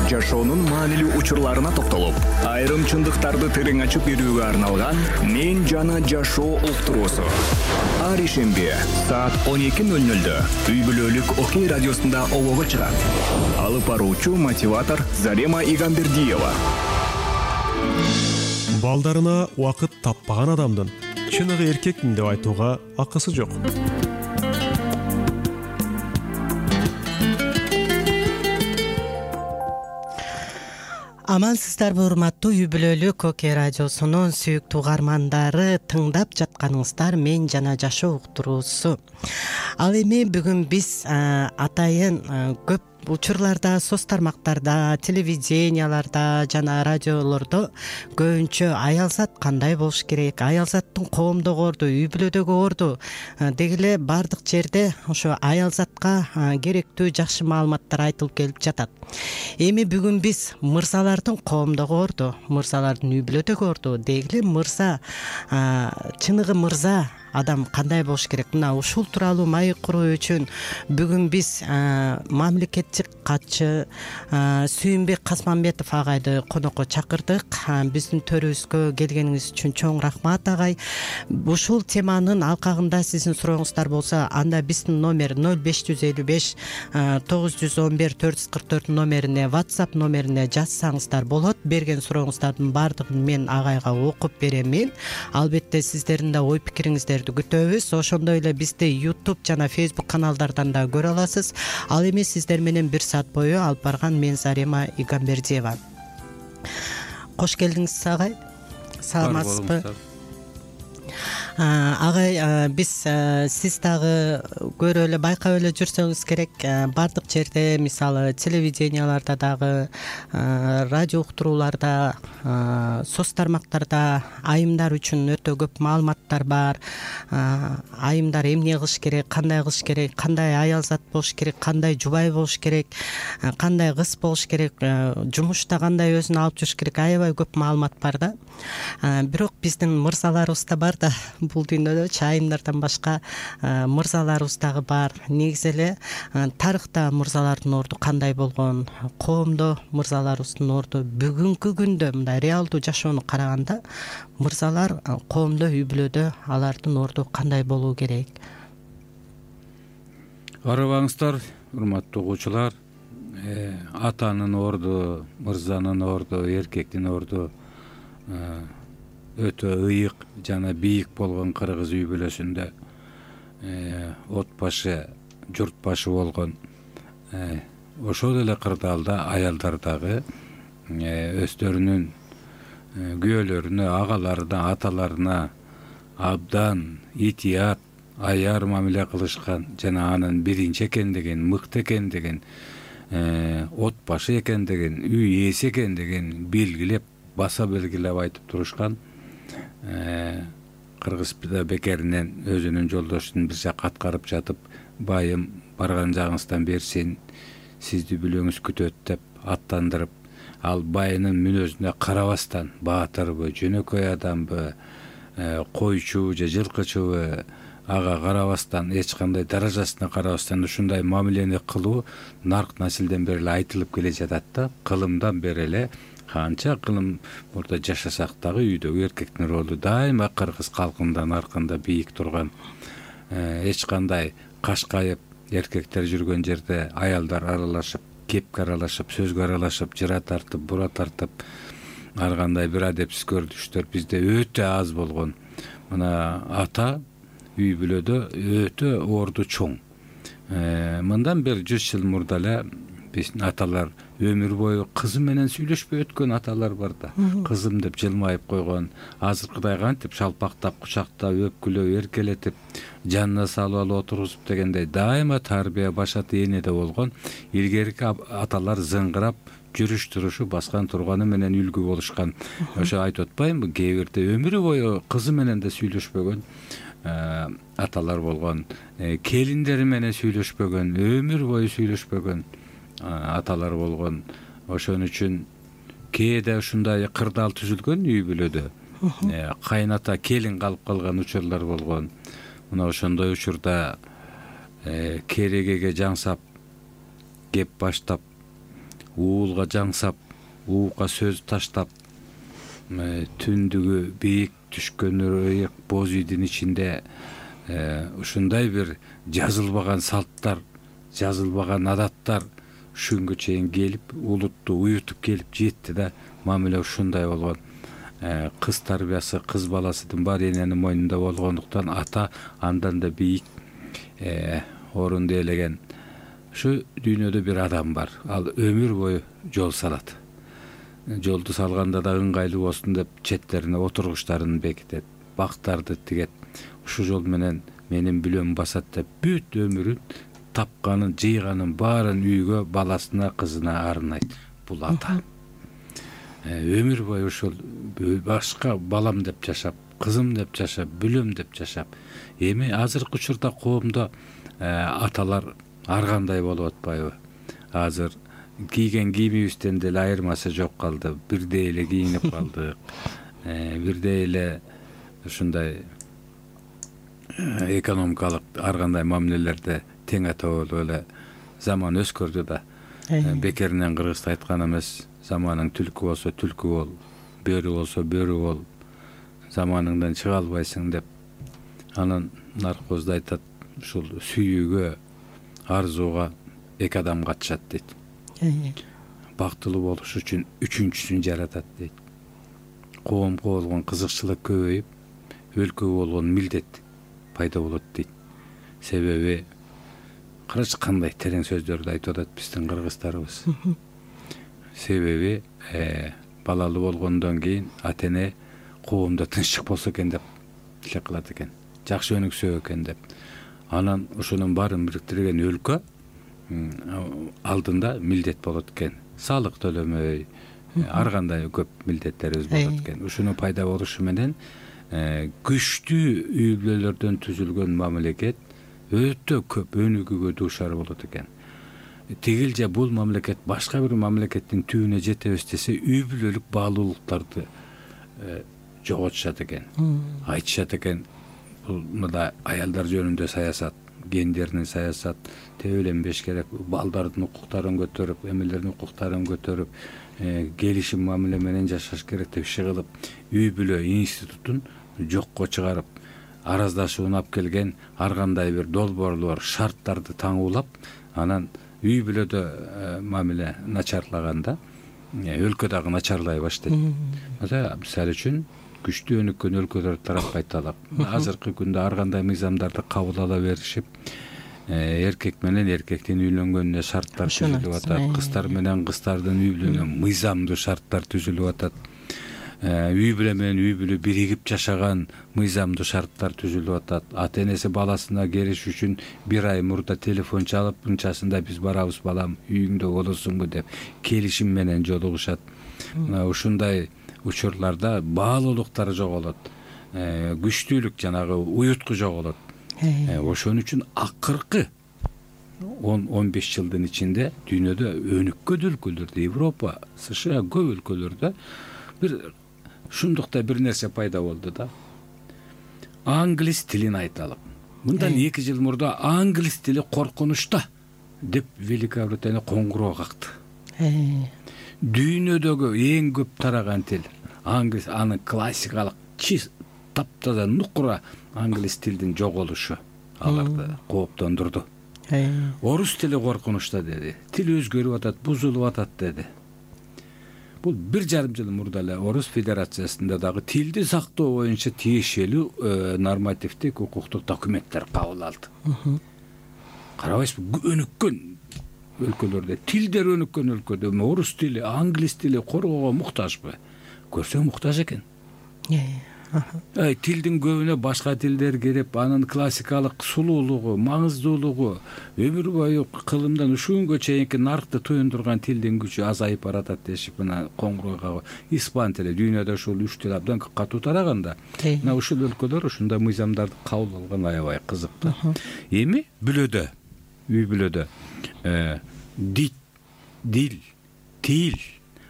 жашоонун маанилүү учурларына токтолуп, айрым чындыктарды терең ачып берүүгө арналган «Мен жана жашоо» уктуруусу. Ар ишемби саат 12:00 үй бүлөлүк Окей радиосунда олого чыгат. Алып баруучу мотиватор Зарема Игамбердиева. Балдарына убакыт таппаган адамдын чыныгы эркекмин деп айтууга акысы жок. Амансыздарбы, урматтуу үй бүлөлүк Окей радиосунун сүйүктүү угармандары, тыңдап жатканыңыздар «Мен жана жашоо» уктуруусу. Ал эми бүгүн биз атайын көп учурларда, соц тармактарда, телевиденияларда жана радиолордо көбүнчө аялзат кандай болуш керек, аялзаттын коомдогу орду, үй бүлөдөгү орду деги эле баардык жерде ошо аялзатка керектүү жакшы маалыматтар айтылып келип жатат. Эми бүгүн биз мырзалардын коомдогу орду, мырзалардын үй бүлөдөгү орду, деги эле мырза, чыныгы мырза адам кандай болуш керек, мына ушул тууралуу маек куруу үчүн бүгүн биз мамлекеттик катчы Сүйүнбек Касманбетов агайды конокко чакырдык. Биздин төрүбүзгө келгениңиз үчүн чоң рахмат агай. Ушул теманын алкагында сиздин сурооңуздар болсо, анда биздин номер 0555 911 444 номерине, WhatsApp номерине жазсаңыздар болот. Берген сурооңуздардын баардыгын мен агайга окуп беремин. Албетте сиздердин да ой пикириңиздерди күтөбүз. Ошондой эле бизди YouTube жана Facebook каналдардан да көрө аласыз. Ал эми сиздер менен 1 саат бою алып барган мен Зарема Игамбердиева. Кош келдиңиз агай. Саламатсызбы? Агай, биз сиз дагы көрүп эле байкап эле жүрсөңүз керек, баардык жерде, мисалы телевиденияларда дагы, радио уктурууларда, соц тармактарда айымдар үчүн өтө көп маалыматтар бар. Айымдар эмне кылыш керек, кандай кылыш керек, кандай аялзат болуш керек, кандай жубай болуш керек, кандай кыз болуш керек, жумушта кандай өзүн алып жүрүш керек, аябай көп маалымат бар да. Бирок биздин мырзаларыбыз да бар да, бул дүйнөдө айымдардан башка мырзаларыбыз дагы бар. Негизи эле тарыхта мырзалардын орду кандай болгон, коомдо мырзаларыбыздын орду бүгүнкү күндө мындай реалдуу жашоону караганда мырзалар коомдо, үй бүлөдө алардын орду кандай болуу керек? Арабаңыздар, урматтуу угуучулар, атанын орду, мырзанын орду, эркектин орду өтө ыйык жана бийик болгон кыргыз үй бүлөсүндө от башы, журт башы болгон ошол эле кырдаалда аялдар дагы өздөрүнүн күйөөлөрүнө, агаларына, аталарына абдан итият, аяр мамиле кылышкан жана анын биринчи экендигин, мыкты экендигин, от башы экендигин, үй ээси экендигин белгилеп, баса белгилеп айтып турушкан. Кыргыз бекеринен өзүнүн жолдошун бир жакка аткарып жатып, байым барган жагыңыздан берсин, сизди бүлөңүз күтөт деп аттандырып, ал байынын мүнөзүнө карабастан, баатырбы, жөнөкөй адамбы, койчу же жылкычыбы, ага карабастан, эч кандай даражасына карабастан ушундай мамилени кылуу нарк насилден бери эле айтылып келе жатат да. Кылымдан бери эле канча кылым мурда жашасак дагы үйдөгү эркектин ролу дайыма кыргыз калкында наркында бийик турган. Эч кандай кашкайып эркектер жүргөн жерде аялдар аралашып, кепке аралашып, сөзгө аралашып, жыра тартып, бура тартып, ар кандай бир адепсиз көрүнүштөр бизде өтө аз болгон. Мына ата үй бүлөдө өтө орду чоң. Мындан бир 100 жыл мурда эле биздин аталар өмүр бою кызы менен сүйлөшпөй өткөн аталар бар да. Кызым деп жылмайып койгон, азыркыдай кантип шалпактап, кучактап, өпкүлөп, эркелетип, жанына салып алып отургузуп дегендей дайыма тарбия башат энеде болгон. Илгерки аталар зыңгырап, жүрүш турушу, баскан турганы менен үлгү болушкан. Ошо айтып атпаймынбы, кээ бирде өмүрү бою кызы менен да сүйлөшпөгөн аталар болгон, келиндери менен сүйлөшпөгөн, өмүр бою сүйлөшпөгөн аталар болгон. Ошон үчүн кээде ушундай кырдаал түзүлгөн үй бүлөдө. Кайната келин калып калган учурлар болгон. Мына ошондой учурда керегеге жаңсап кеп баштап уулга жаңсап, уукка сөз таштап, түндүгү бийик түшкөн ырайык боз үйдүн ичинде ушундай бир жазылбаган салттар, жазылбаган адаттар ушунгө чейин келип, улутту уютуп келип жетти да. Мамиле ушундай болгон. Кыз тарбиясы, кыз баласынын баары эненин мойнунда болгондуктан ата андан да бийик орунду ээлеген. Ушу дүйнөдө бир адам бар. Ал өмүр бою жол салат. Жолду салганда да ыңгайлуу болсун деп четтерине отургучтарын бекитет, бактарды тигет. Ушу жол менен менин бүлөм басат деп бүт өмүрүн, тапканын, жыйганын баарын үйгө, баласына, кызына арнайт. Бул ата. Өмүр бою ушул башка балам деп жашап, кызым деп жашап, бүлөм деп жашап. Эми азыркы учурда коомдо аталар ар кандай болуп атпайбы? Азыр кийген кийимибизден деле айырмасы жок калды. Бирдей эле кийинип калдык. Бирдей эле ушундай экономикалык ар кандай мамилелерде тең болуп эле заман өскөрдү да. Бекеринен кыргызда айткан эмес, заманың түлкү болсо түлкү бол, бөрү болсо бөрү бол, заманыңдан чыга албайсың деп. Анан наркозда айтат, ушул сүйүүгө, арзууга эки адам катышат дейт. Бактылуу болуш үчүн үчүнчүсүн жаратат дейт. Коомго болгон кызыкчылык көбөйүп, өлкөгө болгон милдет пайда болот дейт. Себеби карачы кандай терең сөздөрдү айтып атат биздин кыргыздарыбыз. Себеби балалуу болгондон кийин ата-эне коомдо тынччык болсо экен деп тилек кылат экен. Жакшы өнүксө экен деп. Анан ошонун баарын бириктирген өлкө алдында милдет болот экен. Салык төлөмөй, ар кандай көп милдеттерибиз болот экен. Ушунун пайда болушу менен күчтүү үй бүлөлөрдөн түзүлгөн мамлекет өтө көп өнүгүүгө дуушар болот экен. Тигил же бул мамлекет башка бир мамлекеттин түбүнө жетебиз десе, үй бүлөлүк баалуулуктарды жоготушат экен. Айтышат экен, бул мында аялдар жөнүндө саясат, гендердин саясат тебеленбеш керек, балдардын укуктарын көтөрүп, эмелердин укуктарын көтөрүп, келишим мамиле менен жашаш керек деп иши кылып, үй бүлө институтун жокко чыгарып, араздашууну алып келген ар кандай бир долбоорлор, шарттарды таңуулап, анан үй бүлөдө мамиле начарлаганда өлкө дагы начарлай баштайт. Мисалы үчүн күчтүү өнүккөн өлкөлөр тарапка айталып, азыркы күндө ар кандай мыйзамдарды кабыл ала беришип, эркек менен эркектин үйлөнгөнүнө шарттар түзүлүп атат, кыздар менен кыздардын үйлөнүүнө мыйзамдуу шарттар түзүлүп атат. Үй бүлө менен үй бүлө биригип жашаган мыйзамдуу шарттар түзүлүп атат. Ата-энеси баласына келиш үчүн бир ай мурда телефон чалып, мынчасында биз барабыз балам, үйүңдө болосуңбу деп келишим менен жолугушат. Ушундай учурларда баалуулуктар жоголот. Күчтүүлүк жанагы уютку жоголот. Ошон үчүн акыркы 10-15 жылдын ичинде дүйнөдө өнүккөн өлкөлөрдө, Европа, США көп өлкөлөрдө бир ушундукта бир нерсе пайда болду да. Англис тилин айталып. Мындан 2 жыл мурда англис тили коркунучта деп Великобритания коңгуроо какты. Дүйнөдөгү эң көп тараган тил англис, анын классикалык таптаза нукура англис тилдин жоголушу аларды кооптондурду. Орус тили коркунучта деди. Тил өзгөрүп атат, бузулуп атат деди. Бул 1,5 жыл мурда эле Орус Федерациясында дагы тилди сактоо боюнча тиешелүү нормативдик укуктук документтер кабыл алды. Карабайсызбы, өнүккөн өлкөлөрдө, тилдер өнүккөн өлкөдө орус тили, англис тили коргоого муктажбы? Көрсөң муктаж экен. Тилдин көбүнө башка тилдер кирип, анын классикалык сулуулугу, маңыздуулугу, өмүр бою кылымдан ушунгө чейинки наркты туюндурган тилдин күчү азайып баратат дешип, мына коңгуроо испан тили дүйнөдө ушул 3 тил абдан катуу тараганда, мына ушул өлкөлөр ушундай мыйзамдарды кабыл алган аябай кызык да. Эми бүлөдө, үй бүлөдө дил, тил,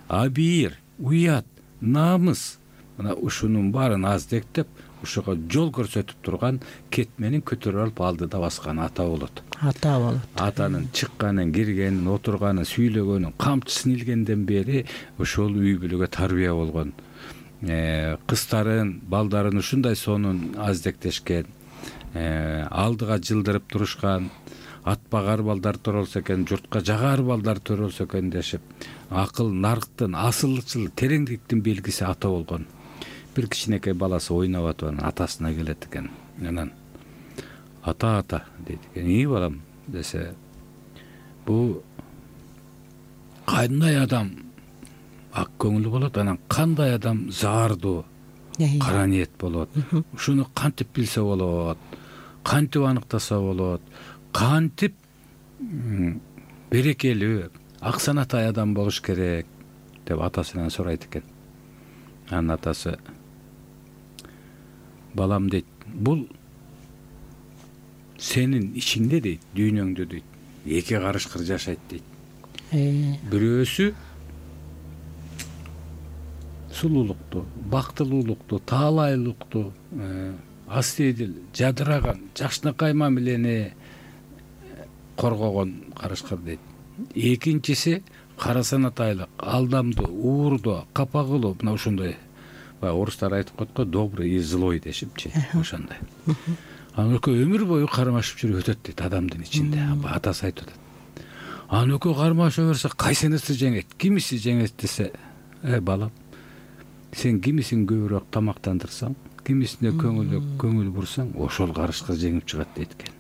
абийир, уят, намыс, мына ушунун баарын аздектеп, ушуга жол көрсөтүп турган кетменин көтөрүп алып алдыда баскан ата болот. Атанын чыкканын, киргенин, отурганын, сүйлөгөнүн, камчысын илгенден бери ошол үй бүлөгө тарбия болгон. Кыздарын, балдарын ушундай сонун аздектешкен, алдыга жылдырып турушкан, атпагар балдар төрөлсө экен, журтка жагар балдар төрөлсө экен дешип, акыл, нарктын, асылчыл, тереңдиктин белгиси ата болгон. Бир кичинекей баласы ойноп атып атасына келет экен. Анан ата дейт экен. Балам десе, бу кандай адам ак көңүлдүү болот, анан кандай адам заардуу, кара ниет болот. Ушуну кантип билсе болот, кантип аныктаса болот, кантип берекелүү, ак санатай адам болуш керек деп атасынан сурайт экен. Анан атасы, балам дейт, бул сенин ичиңде дейт, дүйнөңдө дейт, эки карышкыр жашайт дейт. Бирөөсү сулуулукту, бактылуулукту, таалайлыкту, астедил, жадыраган, жакшынакай мамилени коргогон карышкыр дейт. Экинчиси кара санатайлык, алдамдуу, уурдуу, капагылуу, мына ошондой. Орустар айтып коет го, добрый и злой дешипчи, ошондой. Анан экөө өмүр бою кармашып жүрүп өтөт дейт адамдын ичинде. Атасы айтып атат. Анан экөө кармаша берсе, кайсынысы жеңет, кимиси жеңет десе, балам, сен кимисин көбүрөөк тамактандырсаң, кимисине көңүл бурсаң, ошол карышкыр жеңип чыгат дейт экен.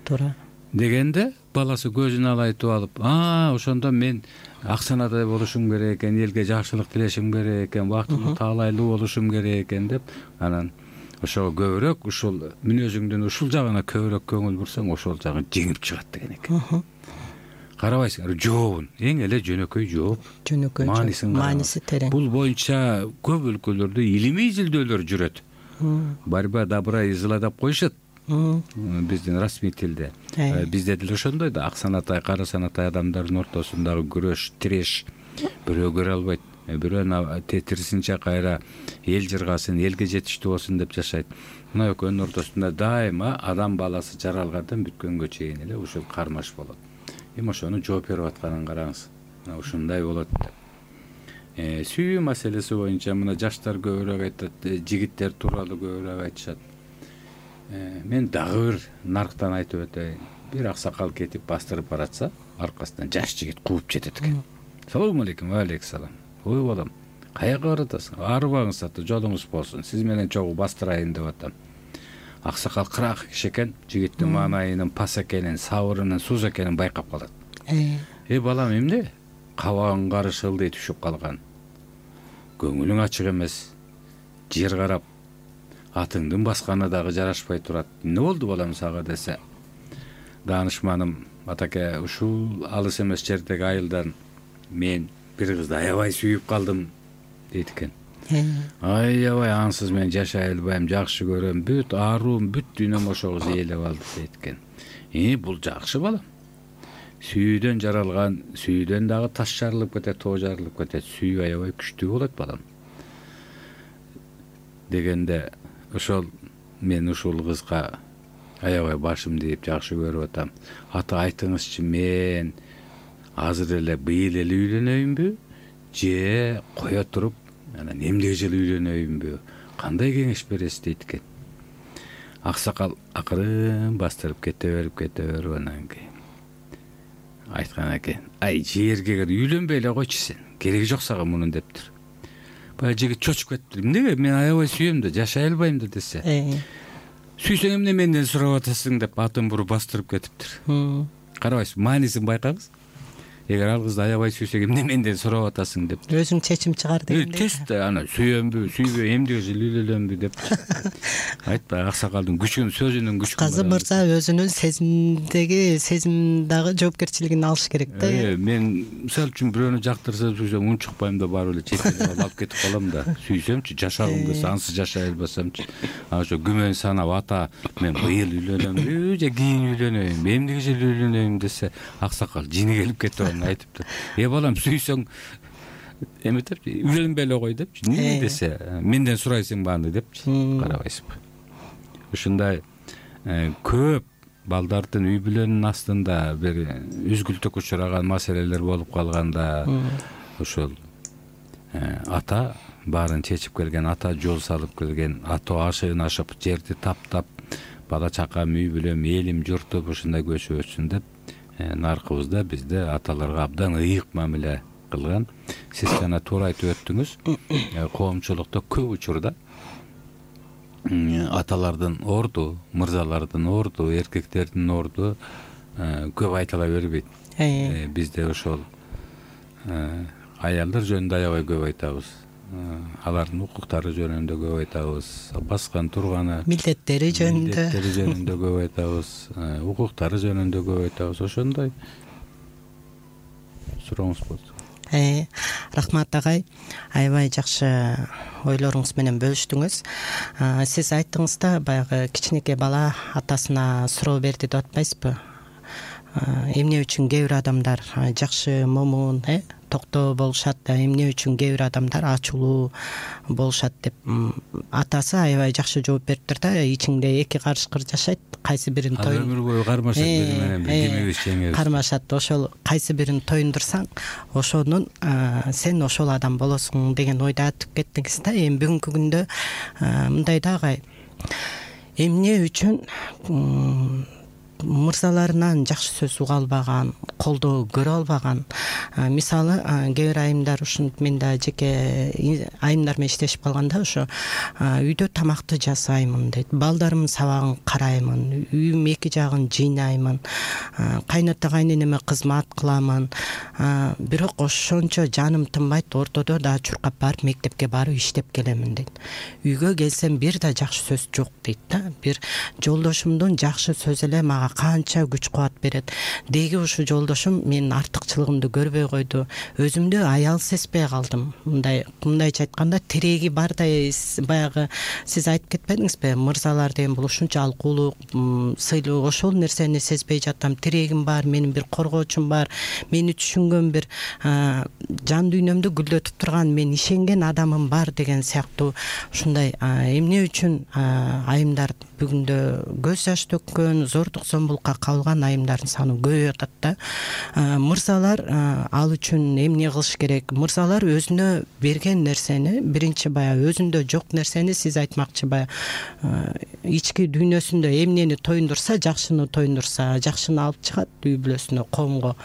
Туура. Дегенде баласы көзүн алайтып алып, ошондо мен ак санатай болушум керек экен, элге жакшылык тилешим керек экен, бактылуу, таалайлуу болушум керек экен деп, анан ошого көбүрөөк, ушул мүнөзүңдүн ушул жагына көбүрөөк көңүл бурсаң, ошол жагын жеңип чыгат деген экен. Карабайсыңар, жообун, эң эле жөнөкөй жооп. Мааниси терең. Бул боюнча көп өлкөлөрдө илимий изилдөөлөр жүрөт. Борьба добра и зла деп коюшат. Биздин расмий тилде. Бизде деле ошондой да, ак санатай, кара санатай адамдардын ортосундагы күрөш, тиреш, бирөө көрө албайт, бирөө тетирисинче кайра эл жыргасын, элге жетиштүү болсун деп жашайт. Мына экөөнүн ортосунда дайыма адам баласы жаралгандан бүткөнгө чейин эле ушул кармаш болот. Эми ошону жооп берип атканын караңыз. Мына ушундай болот. Сүйүү маселеси боюнча мына жаштар көбүрөөк айтат, жигиттер тууралуу көбүрөөк айтышат. Мен дагы бир нарктан айтып өтөйүн. Бир аксакал кетип бастырып баратса, аркасынан жаш жигит кууп жетет экен. Салам алейкум, алейкум салам. Ой балам, каяка баратасың? Арбаңыз ата, жолуңуз болсун. Сиз менен чогуу бастырайын деп атам. Аксакал кырак киши экен, жигиттин маанайынын пас экенин, сабырынын суз экенин байкап калат. Балам, эмне? Кабагың карышылды түшүп калган. Көңүлүң ачык эмес. Жер карап, атыңдын басканы дагы жарашпай турат. Эмне болду балам сага десе, даанышманым, атаке, ушул алыс эмес жердеги айылдан мен бир кызды аябай сүйүп калдым дейт экен. Аябай ансыз мен жашай албайм, жакшы көрөм, бүт ааруум, бүт дүйнөм ошого ээлеп алды дейт экен. Бул жакшы балам. Сүйүүдөн жаралган, сүйүүдөн дагы таш жарылып кетет, тоо жарылып кетет. Сүйүү аябай күчтүү болот балам. Дегенде ошол мен ушул кызга аябай башым дейп жакшы көрүп атам. Ата айтыңызчы, мен азыр эле быйыл эле үйлөнөйүнбү, же кое туруп анан эмдеги жылы үйлөнөйүнбү? Кандай кеңеш бересиз дейт экен. Аксакал акырын бастырып кете берип анан кийин айткан экен. Жерге кир, үйлөнбөй эле койчу сен. Кереги жок сага мунун дептир. Баягы жигит чочуп кетиптир. Эмнеге? Мен аябай сүйөм да, жашай албайм да десе. Сүйсөң эмне менден сурап атасың деп атын буруп бастырып кетиптир. Карабайсыз, маанисин байкаңыз. Эгер ал кызды аябай сүйсөң эмне менден сурап атасың деп. Өзүң чечим чыгар дегенде. Тест ана сүйөмбү, сүйбөй, эмдеги жылы үйлөнөмбү деп. Айтпай, аксакалдын күчүн, сөзүнүн күчүн. Казы мырза өзүнүн сезим дагы жоопкерчилигин алыш керек да. Мен мисалы үчүн бирөөнү жактырсам, сүйсөм унчукпайм да барып эле чет алып кетип калам да. Сүйсөмчү, жашагым келсе, ансыз жашай албасамчы. Ошо күмөн санап ата, мен быйыл үйлөнөмбү, же кийин үйлөнөйүн, эмдеги жылы үйлөнөйүн десе, аксакал жини келип кетип айтыптыр. Балам, сүйсөң эметепчи, үйлөнбөй эле кой депчи. Эмне десе, менден сурайсыңбы аны депчи. Карабайсызбы? Ушундай көп балдардын үй бүлөнүн астында бир үзгүлтүккө учураган маселелер болуп калганда, ошол ата баарын чечип келген, ата жол салып келген, ата ашыгын ашып, жерди таптап, бала чакам, үй бүлөм, элим, журтум ушундай көчүп өтсүн деп наркыбызда бизде аталарга абдан ыйык мамиле кылган. Сиз жана туура айтып өттүңүз. Коомчулукта көп учурда аталардын орду, мырзалардын орду, эркектердин орду көп айтыла бербейт. Бизде ошол аялдар жөнүндө аябай көп айтабыз. Алардын укуктары жөнүндө көп айтабыз. Баскан турганы, милдеттери жөнүндө көп айтабыз. Укуктары жөнүндө көп айтабыз. Ошондой сурооңуз болсо. Рахмат агай, аябай жакшы ойлоруңуз менен бөлүштүңүз. Сиз айттыңыз да, баягы кичинекей бала атасына суроо берди деп атпайсызбы? Эмне үчүн кээ бир адамдар жакшы, момун, токтоо болушат, эмне үчүн кээ бир адамдар ачуулуу болушат деп атасы аябай жакшы жооп бериптир да. Ичиңде эки карышкыр жашайт, кайсы бирин өмүр бою кармашат, бири менен кимибиз жеңебиз. Кармашат, ошол кайсы бирин тоюндурсаң, ошонун сен ошол адам болосуң деген ойду айтып кеттиңиз да. Эми бүгүнкү күндө мындай да агай, эмне үчүн мырзаларынан жакшы сөз уга албаган, колдоо көрө албаган, мисалы кээ бир айымдар, ушинтип мен да жеке айымдар менен иштешип калганда, ошо үйдө тамакты жасаймын дейт, балдарымдын сабагын караймын, үйүм эки жагын жыйнаймын, кайната кайненеме кызмат кыламын, бирок ошончо жаным тынбайт, ортодо да чуркап барып мектепке барып иштеп келемин дейт. Үйгө келсем бир да жакшы сөз жок дейт да. Бир жолдошумдун жакшы сөзү эле мага канча күч кубат берет. Деги ушу жолдошум менин артыкчылыгымды көрбөй койду. Өзүмдү аял сезбей калдым. Мындайча айтканда, тиреги бардай, баягы сиз айтып кетпедиңизби? Мырзалар деген бул ушунча алкуулук, сыйлуу, ошол нерсени сезбей жатам. Тирегим бар, менин бир коргоочум бар, мени түшүнгөн бир жан дүйнөмдү гүлдөтүп турган, мен ишенген адамым бар деген сыяктуу ушундай эмне үчүн айымдар бүгүндө көз жаш төккөн, зордук зомбулукка кабылган айымдардын саны көбөйүп атат да. Мырзалар ал үчүн эмне кылыш керек? Мырзалар өзүнө берген нерсени, биринчи баягы өзүндө жок нерсени, сиз айтмакчы, баягы ички дүйнөсүндө эмнени тоюндурса, жакшыны тоюндурса, жакшыны алып чыгат үй бүлөсүнө, коомго.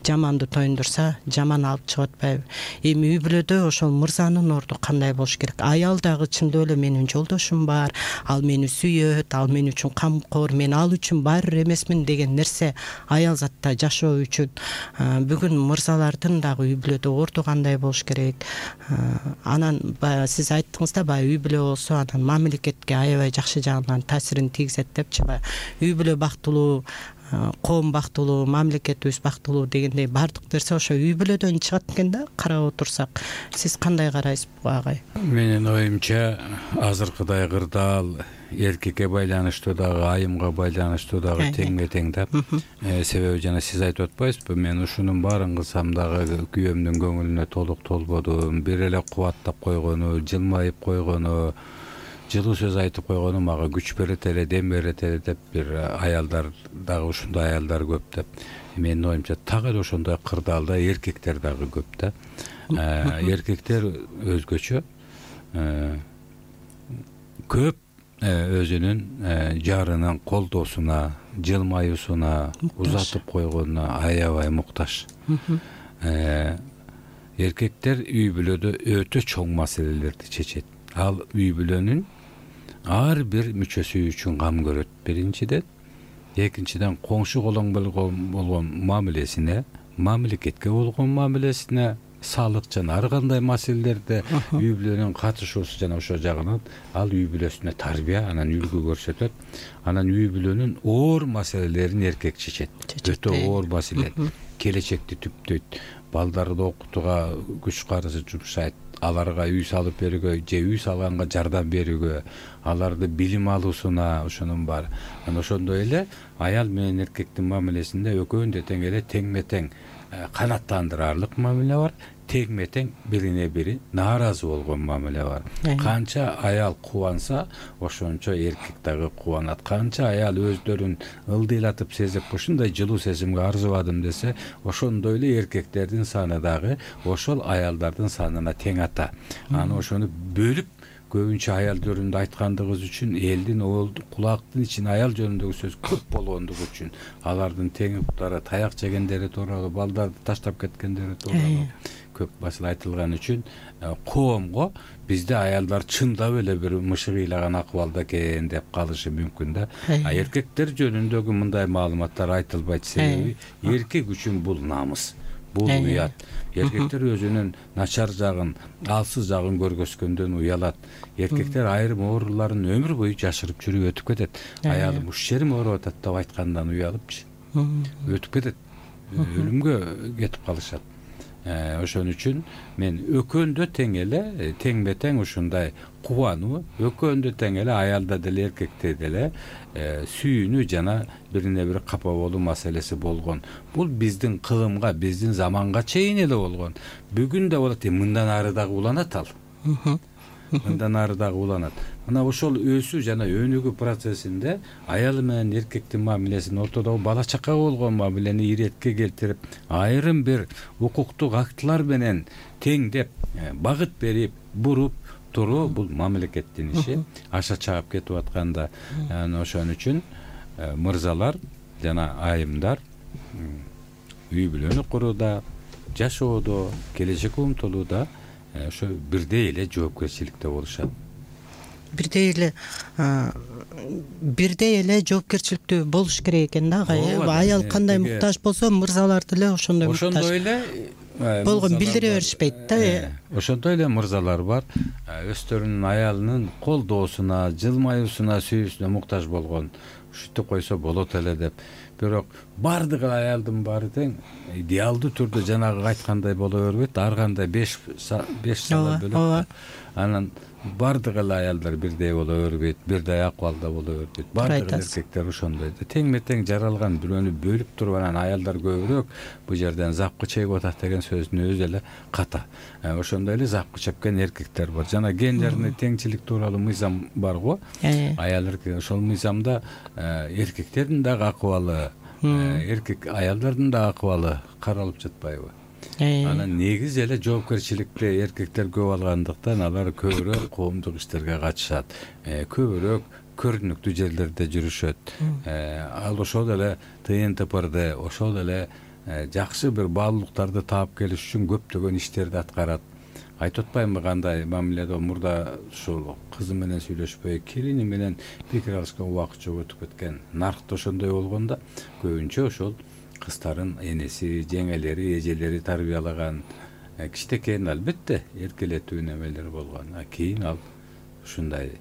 Жаманды тоюндурса, жаман алып чыгып атпайбы? Эми үй бүлөдө ошол мырзанын орду кандай болуш керек? Аял дагы чындап эле менин жолдошум бар, ал мени сүйөт, ал мен үчүн камкор, мен ал үчүн баары эмесмин деген нерсе аял затта жашоо үчүн. Бүгүн мырзалардын дагы үй бүлөдө орду кандай болуш керек? Анан баягы сиз айттыңыз да, баягы үй бүлө болсо анан мамлекетке аябай жакшы жагынан таасирин тийгизет депчи. Баягы үй бүлө бактылуу, коом бактылуу, мамлекетибиз бактылуу дегендей баардык нерсе ошо үй бүлөдөн чыгат экен да, карап отурсак. Сиз кандай карайсыз буга агай? Менин оюмча азыркыдай кырдаал эркекке байланыштуу дагы, айымга байланыштуу дагы теңме тең да. Себеби жана сиз айтып атпайсызбы, мен ушунун баарын кылсам дагы күйөөмдүн көңүлүнө толук толбодум, бир эле кубаттап койгону, жылмайып койгону, жылуу сөз айтып койгону мага күч берет эле, дем берет эле деп бир аялдар дагы, ушундай аялдар көп деп. Менин оюмча так эле ошондой кырдаалда эркектер дагы көп да. Эркектер өзгөчө көп өзүнүн жарынын колдоосуна, жылмаюусуна, узатып койгонуна аябай муктаж. Эркектер үй бүлөдө өтө чоң маселелерди чечет. Ал үй бүлөнүн ар бир мүчөсү үчүн кам көрөт, биринчиден. Экинчиден, коңшу колоң болгон мамилесине, мамлекетке болгон мамилесине, салык жана ар кандай маселелерде үй бүлөнүн катышуусу жана ошол жагынан ал үй бүлөсүнө тарбия, анан үлгү көрсөтөт. Анан үй бүлөнүн оор маселелерин эркек чечет. Өтө оор маселе. Келечекти түптөйт, балдарды окутууга күч карызы жумшайт, аларга үй салып берүүгө же үй салганга жардам берүүгө, аларды билим алуусуна, ошонун баары. Анан ошондой эле аял менен эркектин мамилесинде экөөнү да тең эле теңме тең канааттандырарлык мамиле бар, тегме тең бирине бири нааразы болгон мамиле бар. Канча аял кубанса, ошончо эркек дагы кубанат. Канча аял өздөрүн ылдыйлатып сезип, ушундай жылуу сезимге арзыбадым десе, ошондой эле эркектердин саны дагы ошол аялдардын санына тең ата. Аны ошону бөлүп көбүнчө аял жөнүндө айткандыгыбыз үчүн элдин кулактын ичине аял жөнүндөгү сөз көп болгондугу үчүн алардын теңиптары, таяк жегендери тууралуу, балдарды таштап кеткендери тууралуу көп басыла айтылган үчүн коомго бизде аялдар чындап эле бир мышык ыйлаган акыбалда экен деп калышы мүмкүн да. Эркектер жөнүндөгү мындай маалыматтар айтылбайт, себеби эркек үчүн бул намыс. Бул уят. Эркектер өзүнүн начар жагын, алсыз жагын көргөзгөндөн уялат. Эркектер айрым ооруларын өмүр бою жашырып жүрүп өтүп кетет. Аялым уш жерим ооруп атат деп айткандан уялыпчы. Өтүп кетет. Өлүмгө кетип калышат. Ошон үчүн мен экөөндө тең эле, теңме тең ушундай кубануу, экөөндө тең эле аялда деле эркекте деле сүйүүнү жана бирине бири капа болуу маселеси болгон. Бул биздин кылымга, биздин заманга чейин эле болгон. Бүгүн да болот, мындан ары дагы уланат ал. Мындан ары дагы уланат. Мына ошол өсүү жана өнүгүү процессинде аялы менен эркектин мамилесин, ортодогу бала чакага болгон мамилени иретке келтирип, айрым бир укуктук актылар менен теңдеп, багыт берип, буруп туруу бул мамлекеттин иши. Аша чаап кетип атканда, ошон үчүн мырзалар жана айымдар үй бүлөнү курууда, жашоодо, келечекке умтулууда ошо бирдей эле жоопкерчиликте болушат. Бирдей эле жоопкерчиликтүү болуш керек экен да. Аял кандай муктаж болсо, мырзалар деле ошондой муктаж. Ошондой эле болгон билдире беришпейт да. Ошондой эле мырзалар бар, өздөрүнүн аялынын колдоосуна, жылмаюусуна, сүйүүсүнө муктаж болгон. Ушинтип койсо болот эле деп. Бирок бардыгы аялдын баары тең идеалдуу түрдө жанагы айткандай боло бербейт. Ар кандай 5 сала бөлөк. Анан бардыгы эле аялдар бирдей боло бербейт, бирдей акыбалда боло бербейт. Бардыгы эркектер ошондой. Теңме тең жаралган бирөөнү бөлүп туруп анан аялдар көбүрөөк бу жерден запкы чегип атат деген сөздүн өзү эле ката. Ошондой эле запкы чепкен эркектер бар. Жана гендерный теңчилик тууралуу мыйзам бар го. Аял эркек, ошол мыйзамда эркектердин дагы акыбалы, эркек аялдардын да акыбалы каралып жатпайбы? Анан негиз эле жоопкерчиликти эркектер көп алгандыктан алар көбүрөөк коомдук иштерге катышат, көбүрөөк көрүнүктүү жерлерде жүрүшөт. Ал ошол эле ТНТПрде ошол эле жакшы бир баалуулуктарды таап келиш үчүн көптөгөн иштерди аткарат. Айтып атпаймынбы кандай мамиледе мурда ушул кызы менен сүйлөшпөй, келини менен пикир алышкан убакыт жок өтүп кеткен. Наркта ошондой болгондо көбүнчө ошол кыздардын энеси, жеңелери, эжелери тарбиялаган кичинекейин албетте эркелетүү немелер болгон. Кийин ал ушундай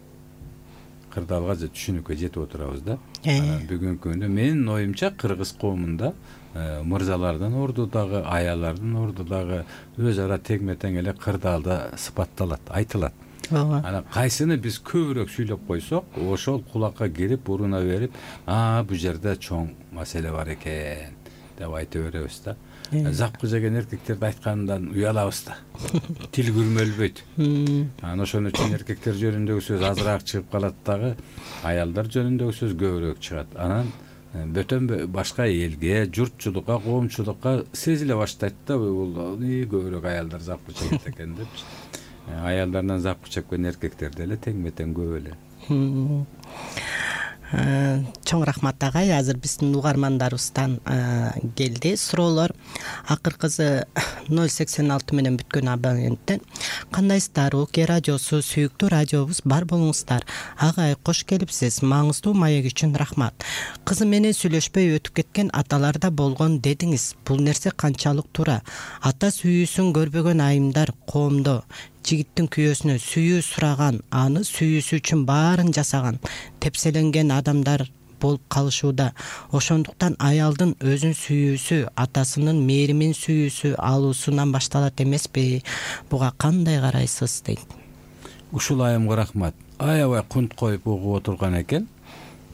кырдаалга же түшүнүккө жетип отурабыз да. Бүгүнкү күндө менин оюмча кыргыз коомунда мырзалардын орду дагы, аяллардын орду дагы өз ара тегме тең эле кырдаалда сыпатталат, айтылат. Анан кайсыны биз көбүрөөк сүйлөп койсок, ошол кулакка кирип, уруна берип, бул жерде чоң маселе бар экен деп айта беребиз да. Запкы жеген эркектерди айткандан уялабыз да. Тил күрмөлбөйт. Анан ошон үчүн эркектер жөнүндөгү сөз азыраак чыгып калат дагы, аялдар жөнүндөгү сөз көбүрөөк чыгат. Анан бөтөн башка элге, журтчулукка, коомчулукка сезиле баштайт да, бул көбүрөөк аялдар запкы чегет экен деп. Аялдардан запкы чеккен эркектер деле теңме тең көп эле. Чоң рахмат агай. Азыр биздин угармандарыбыздан келди суроолор. Акыркысы 086 менен бүткөн абоненттен: кандайсыздар? УК радиосу сүйүктүү радиобуз бар болуңуздар. Агай кош келипсиз. Маңыздуу маек үчүн рахмат. Кызы менен сүйлөшпөй өтүп кеткен аталарда болгон дедиңиз. Бул нерсе канчалык туура? Ата сүйүүсүн көрбөгөн айымдар коомдо жигиттин күйөөсүнө сүйүү сураган, аны сүйүүсү үчүн баарын жасаган, тепселенген адамдар болуп калышууда. Ошондуктан аялдын өзүн сүйүүсү, атасынын мээримин сүйүүсү алуусунан башталат эмеспи? Буга кандай карайсыз дейт. Ушул айымга рахмат. Аябай кунт коюп угуп отурган экен.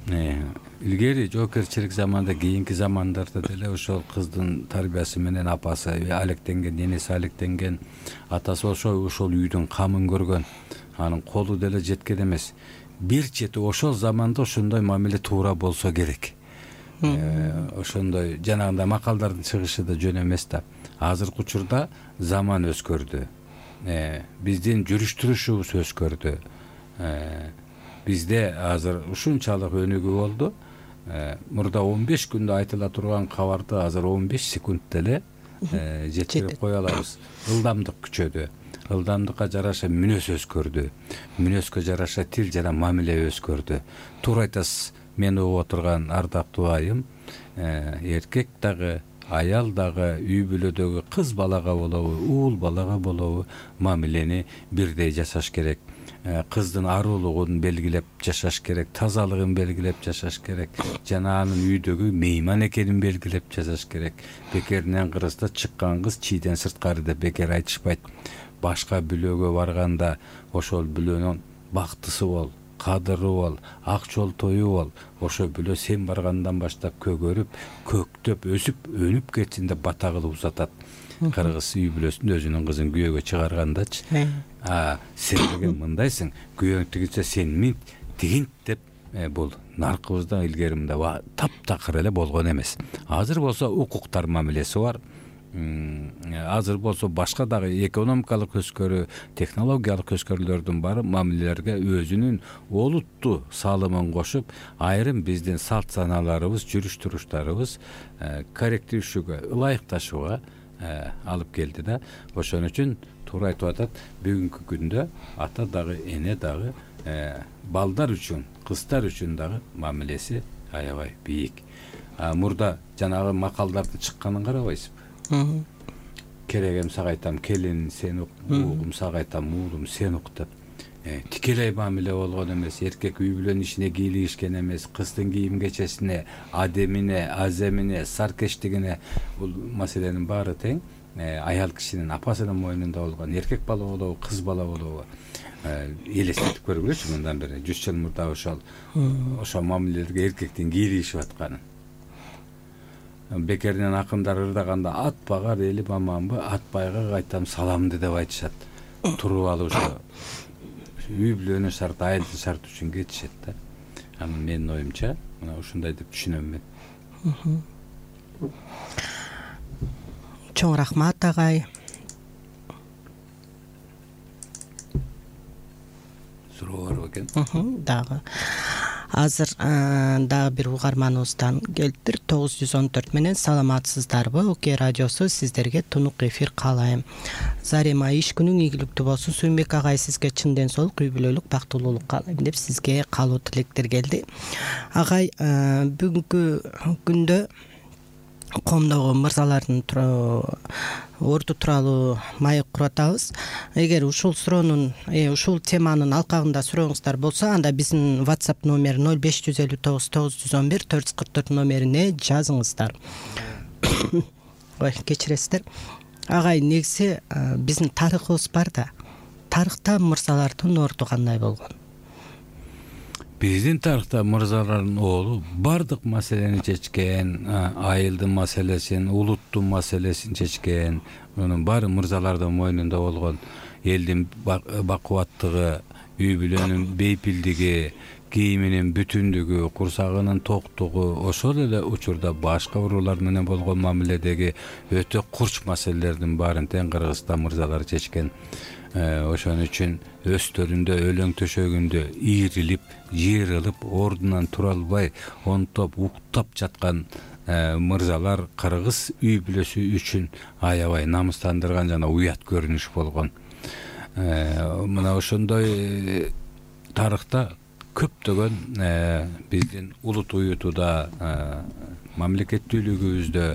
илгери жоокерчилик заманда, кийинки замандарда деле ошол кыздын тарбиясы менен апасы алектенген, энеси алектенген, атасы ошол үйдүн камын көргөн, анын колу деле жеткен эмес. Бир чети ошол заманда ошондой мамиле туура болсо керек. Ошондой жанагындай макалдардын чыгышы да жөн эмес да. Азыркы учурда заман өзгөрдү. Биздин жүрүш-турушубуз өзгөрдү. Бизде азыр ушунчалык өнүгүү болду. Мурда 15 күндө айтыла турган кабарды азыр 15 секундта эле жеткирип кое алабыз. Ылдамдык күчөдү. Ылдамдыкка жараша мүнөз өзгөрдү. Мүнөзгө жараша тил жана мамиле өзгөрдү. Туура айтасыз. Мен угуп отурган ардактуу айым, эркек дагы, аял дагы, үй бүлөдөгү кыз балага болобу, уул балага болобу мамилени бирдей жасаш керек. Кыздын аруулугун белгилеп жашаш керек, тазалыгын белгилеп жашаш керек, жана анын үйдөгү мейман экенин белгилеп жашаш керек. Бекеринен кырыста чыккан кыз чийден сырткары деп бекер айтышпайт. Башка бүлөгө барганда ошол бүлөнүн бактысы бол, кадыры бол, ак жолтою бол. Ошо бүлө сен баргандан баштап көгөрүп, көктөп, өсүп, өнүп кетсин деп бата кылып узатат. Кыргыз үй бүлөсүндө өзүнүн кызын күйөөгө чыгаргандачы. Сен деген мындайсың, күйөөң тигинсе сен мин тигин деп бул наркыбызда илгери мындай таптакыр эле болгон эмес. Азыр болсо укуктар мамилеси бар. Азыр болсо башка дагы экономикалык өскөрүү, технологиялык өскөрүүлөрдүн баары мамилелерге өзүнүн олуттуу салымын кошуп, айрым биздин салт саналарыбыз, жүрүш-туруштарыбыз корректируучуга, ылайыкташууга алып келди да. Ошон үчүн туура айтып атат, бүгүнкү күндө ата дагы, эне дагы балдар үчүн, кыздар үчүн дагы мамилеси аябай бийик. Мурда жанагы макалдардын чыкканын карабайсызбы? Керегем сага айтам, келин сен ук, угум сага айтам, уулум сен ук деп. Тикелей мамиле болгон эмес, эркек үй бүлөнүн ишине кийлигишкен эмес, кыздын кийим кечесине, адемине, аземине, саркештигине, бул маселенин баары тең аял кишинин апасынын мойнунда болгон. Эркек бала болобу, кыз бала болобу элестетип көргүлөчү мындан бери 100 жыл мурда ошол мамилелерге эркектин кийлигишип атканын. Бекеринен акындар ырдаганда атпагар элим аманбы, атпайга кайтам саламды деп айтышат. Туруп алып ошо үй бүлөнүн шарты, айылдын шарты үчүн кетишет да. Анан менин оюмча мына ушундай деп түшүнөм мен. Чоң рахмат агай. Суроо бар экен? Дагы. Азыр дагы бир угарманыбыздан келиптир. 914 менен саламатсыздарбы? Оке радиосу сиздерге тунук эфир каалайм. Зарема, иш күнүң ийгиликтүү болсун. Сүйүнбек агай, сизге чын ден соолук, үй бүлөлүк бактылуулук каалайм деп сизге каалоо тилектер келди. Агай, бүгүнкү күндө коомдогу мырзалардын орду тууралуу маек куруп атабыз. Эгер ушул суроонун, ушул теманын алкагында сурооңуздар болсо, анда биздин WhatsApp номери 0559 911 444 номерине жазыңыздар. Ой, кечиресиздер. Агай, негизи биздин тарыхыбыз бар да. Тарыхта мырзалардын орду кандай болгон? Биздин тарыхта мырзалардын оолу бардык маселени чечкен, айылдын маселесин, улуттун маселесин чечкен. Мунун баары мырзалардын мойнунда болгон. Элдин бакубаттыгы, үй бүлөнүн бейпилдиги, кийиминин бүтүндүгү, курсагынын токтугу, ошол эле учурда башка уруулар менен болгон мамиледеги өтө курч маселелердин баарын тең Кыргызстан мырзалары чечкен. Ошон үчүн өстөрүндө, өлөң төшөгүндө ийрилип, жыйрылып, ордунан тура албай, онтоп, уктап жаткан мырзалар кыргыз үй бүлөсү үчүн аябай намыстандырган жана уят көрүнүш болгон. Мына ошондой тарыхта көптөгөн биздин улут уютуда, мамлекеттүүлүгүбүздө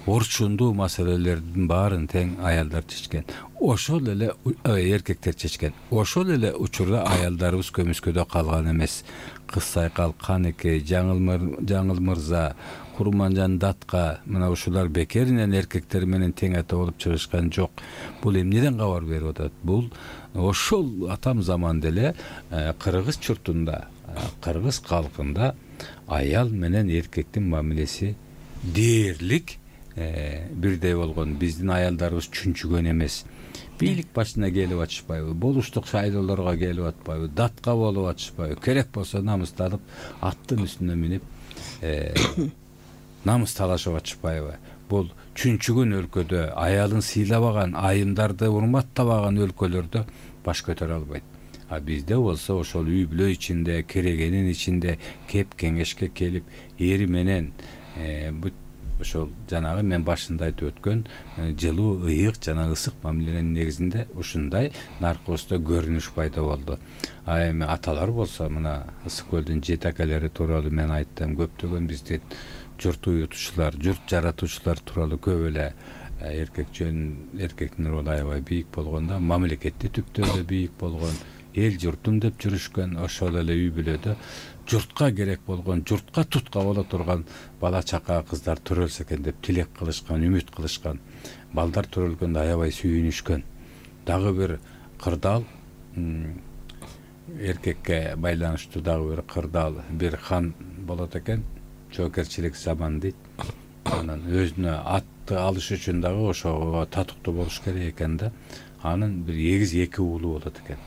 орчундуу маселелердин баарын тең аялдар чечкен. Ошол эле эркектер чечкен. Ошол эле учурда аялдарыбыз көмүскөдө калган эмес. Кыз Сайкал, Канекей, Жаңыл мырза, Курманжан Датка, мына ушулар бекеринен эркектер менен тең ата болуп чыгышкан жок. Бул эмнеден кабар берип атат? Бул ошол атам заманда эле кыргыз журтунда, кыргыз калкында аял менен эркектин мамилеси дээрлик бирдей болгон. Биздин аялдарыбыз чүнчүгөн эмес, бийлик башына келип атышпайбы, болуштук шайлоолорго келип атпайбы, датка болуп атышпайбы, керек болсо намыстанып аттын үстүнө минип намыс талашып атышпайбы. Бул чүнчүгөн өлкөдө, аялын сыйлабаган, айымдарды урматтабаган өлкөлөрдө баш көтөрө албайт. А бизде болсо ошол үй бүлө ичинде, керегенин ичинде кеп кеңешке келип, эри менен ошол жанагы мен башында айтып өткөн жылуу, ыйык жана ысык мамиленин негизинде ушундай наркыбызда көрүнүш пайда болду. А эми аталар болсо мына Ысык көлдүн жетекелери тууралуу мен айттым. Көптөгөн биздин журт уютуучулар, журт жаратуучулар тууралуу көп эле эркектин ролу аябай бийик болгондо, мамлекетти түптөдө бийик болгон, эл журтум деп жүрүшкөн. Ошол эле үй бүлөдө журтка керек болгон, журтка тутка боло турган бала чака кыздар төрөлсө экен деп тилек кылышкан, үмүт кылышкан. Балдар төрөлгөндө аябай сүйүнүшкөн. Дагы бир кырдаал, эркекке байланыштуу дагы бир кырдаал, бир хан болот экен, жоокерчилик заман дейт. Анан өзүнө атты алыш үчүн дагы ошого татыктуу болуш керек экен да. Анын бир эгиз 2 уулу болот экен.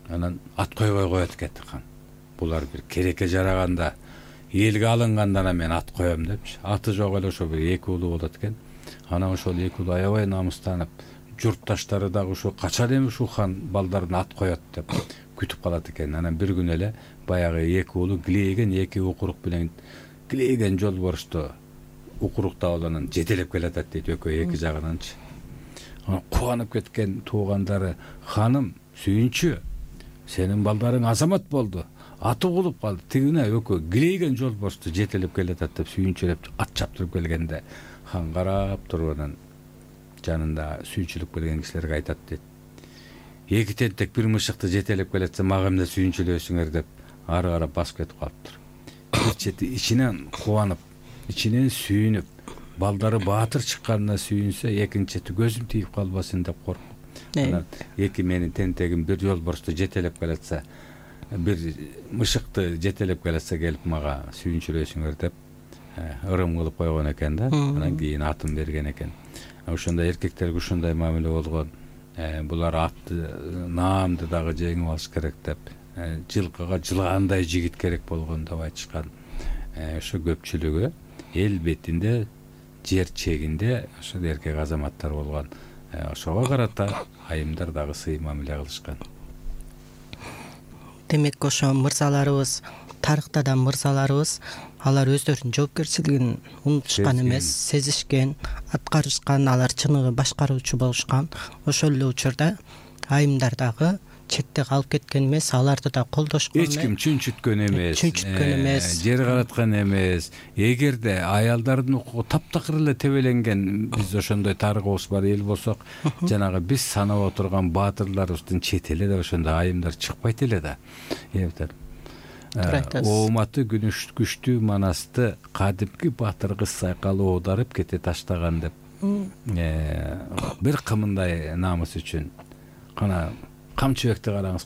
Анан ат койбой коет экен хан. Булар бир керекке жараганда, элге алынганда мен ат коем депчи. Аты жок эле ошо бир 2 уулу болот экен. Анан ошол 2 уулу аябай намыстанып, журтташтары дагы ушу качан эми ушул хан балдарын ат коет деп күтүп калат экен. Анан бир күн эле баягы 2 уулу килейген 2 укурук менен килейген жолборусту укурукта анан жетелеп келатат дейт, экөө 2 жагынанчы. Кубанып кеткен туугандары: "Ханым, сүйүнчү, сенин балдарың азамат болду, аты кулуп калды." Тигине экөө килейген жолборусту жетелеп келатат деп сүйүнчүлөп ат чаптырып келгенде хан карап туруп анан жанында сүйүнчүлүк берген кишилерге айтат дейт: "2 тентек бир мышыкты жетелеп келатса мага эмне сүйүнчүлөсүңөр" деп ары карап басып кетип калыптыр. Бир чети ичинен кубанып, ичинен сүйүнүп, балдары баатыр чыкканына сүйүнсө, экинчи чети көзүм тийип калбасын деп коркуп. Анан 2 менин тентегим бир жолборусту жетелеп келатса, бир мышыкты жетелеп келатса келип мага сүйүнчүлөсүңөр деп ырым кылып койгон экен да. Анан кийин атын берген экен. Ошондой эркектерге ушундай мамиле болгон. Булар атты, наамды дагы жеңип алыш керек деп, жылкыга жылгандай жигит керек болгон деп айтышкан. Ошо көпчүлүгү эл бетинде, жер чегинде ошо эркек азаматтар болгон. Ошого карата айымдар дагы сый мамиле кылышкан. Демек ошо мырзаларыбыз, тарыхта да мырзаларыбыз алар өздөрүнүн жоопкерчилигин унутушкан эмес, сезишкен, аткарышкан, алар чыныгы башкаруучу болушкан. Ошол эле учурда айымдар дагы четте калып кеткен эмес, аларды да колдошкон. Эч ким чүнчүткөн эмес, жер караткан эмес. Эгерде аялдардын укугу таптакыр эле тебеленген, биз ошондой тарыхыбыз бар эл болсок, жанагы биз санап отурган баатырларыбыздын четеле да ошондой айымдар чыкпайт эле да. Ооматы күчтүү манасты кадимки баатыр кыз сайкалы оодарып кете таштаган деп бир кымындай намыс үчүн кана камчыбекти караңыз,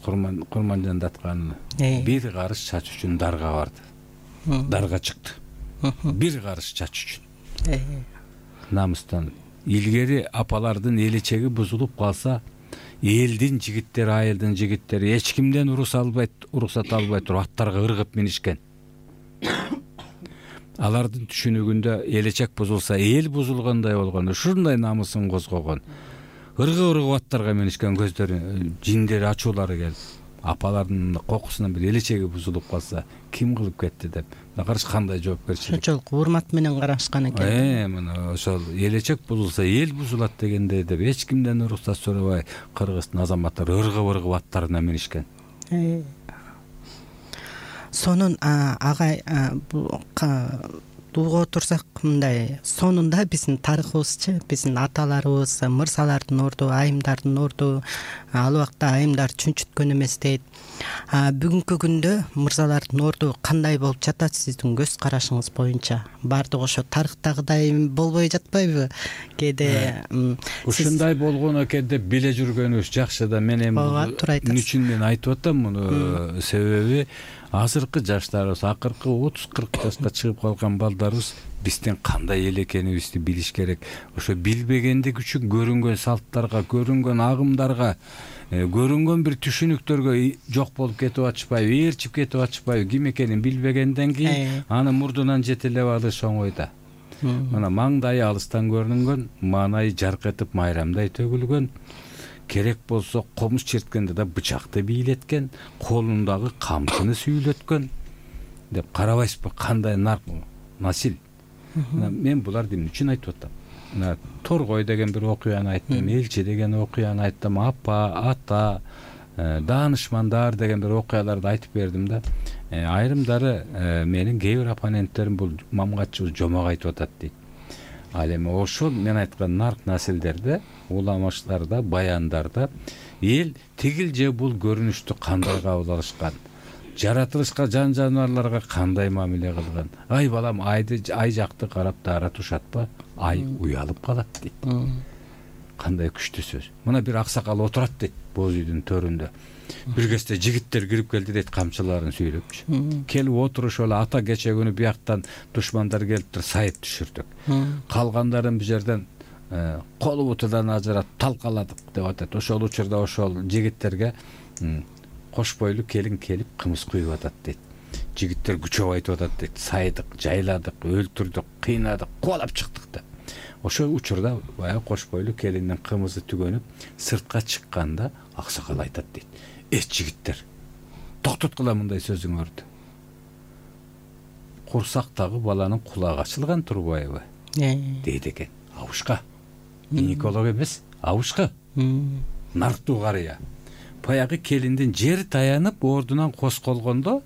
Курманжандаткан бир карыш чач үчүн дарга барды. Дарга чыкты. Бир карыш чач үчүн. Намыстан. Илгери апалардын элечеги бузулуп калса, элдин жигиттери, айылдын жигиттери эч кимден уруксат албай туруп аттарга ыргып минишкен. Алардын түшүнүгүндө элечек бузулса, эл бузулгандай болгон, ушундай намысын козгогон. Ыргып аттарга минишкен, көздөрү, жиндери, ачуулары келип, апалардын кокусунан бир элечеги бузулуп калса, ким кылып кетти деп. Каршы кандай жоопкерчилик. Ошол урмат менен карашкан экен. Мына ошол элечек бузулса, эл бузулат дегенде деп эч кимден уруксат сурабай, кыргыздын азаматтары ыргып аттарына минишкен. Сонун агай угуп отурсак, мындай сонунда биздин тарыхыбызчы, биздин аталарыбыз мырзалардын орду, айымдардын орду, ал убакта айымдар чүнчүткөн эмес дейт. Бүгүнкү күндө мырзалардын орду кандай болуп жатат сиздин көз карашыңыз боюнча? Бардыгы ошо тарыхтагыдай болбой жатпайбы? Кээде ушундай болгон экен деп биле жүргөнүбүз жакшы да. Мен эми үчүн мен айтып атам муну, себеби азыркы жаштарыбыз, акыркы 30-40 жашка чыгып калган балдарыбыз биздин кандай эл экенибизди билиш керек. Ошо билбегендик үчүн көрүнгөн салттарга, көрүнгөн агымдарга, көрүнгөн бир түшүнүктөргө жок болуп кетип атышпайбы, ээрчип кетип атышпайбы? Ким экенин билбегенден кийин аны мурдунан жетелеп алыш оңойда. Мына маңдайы алыстан көрүнгөн, маанайы жарк этип майрамдай төгүлгөн, керек болсо комуш черткенде да бычакты бийлеткен, колундагы камчыны сүйүлөткөн деп карабайсызбы? Кандай насил. Мен буларды эмне үчүн айтып атам? Мына Торгой деген бир окуяны айттым, Элчи деген окуяны айттым, апа, ата, даанышмандар деген бир окуяларды айтып бердим да. Айрымдары менин кээ бир оппоненттерим бул мамгатчыбыз жомок айтып атат дейт. Ал эми ошол мен айткан нарк насилдерде, уламаштарда, баяндарда эл тигил же бул көрүнүштү кандай кабыл алышкан, жаратылышка, жан жаныбарларга кандай мамиле кылган. Ай балам, ай жакты карап дара тушатпа, ай уялып калат дейт. Кандай күчтүү сөз. Мына бир аксакал отурат дейт боз үйдүн төрүндө. Бир кезде жигиттер кирип келди дейт, камчыларын сүйрөпчү. Келип отурушуп эле ата кече күнү бияктан душмандар келиптир, сайып түшүрдүк. Калгандарын бул жерден колу бутудан ажыратып талкаладык деп атат. Ошол учурда ошол жигиттерге кош бойлуу келин келип кымыз куюп атат дейт. Жигиттер күчөп айтып атат дейт. Сайдык, жайладык, өлтүрдүк, кыйнадык, кубалап чыктык деп. Ошол учурда баягы кош бойлуу келиндин кымызы түгөнүп сыртка чыкканда аксакал айтат дейт. Жигиттер, токтоткула мындай сөзүңөрдү. Курсактагы баланын кулагы ачылган турбайбы? Дейт экен. Абышка. Гинеколог эмес, абышка. Нарктуу карыя. Баягы келиндин жер таянып ордунан козголгондо,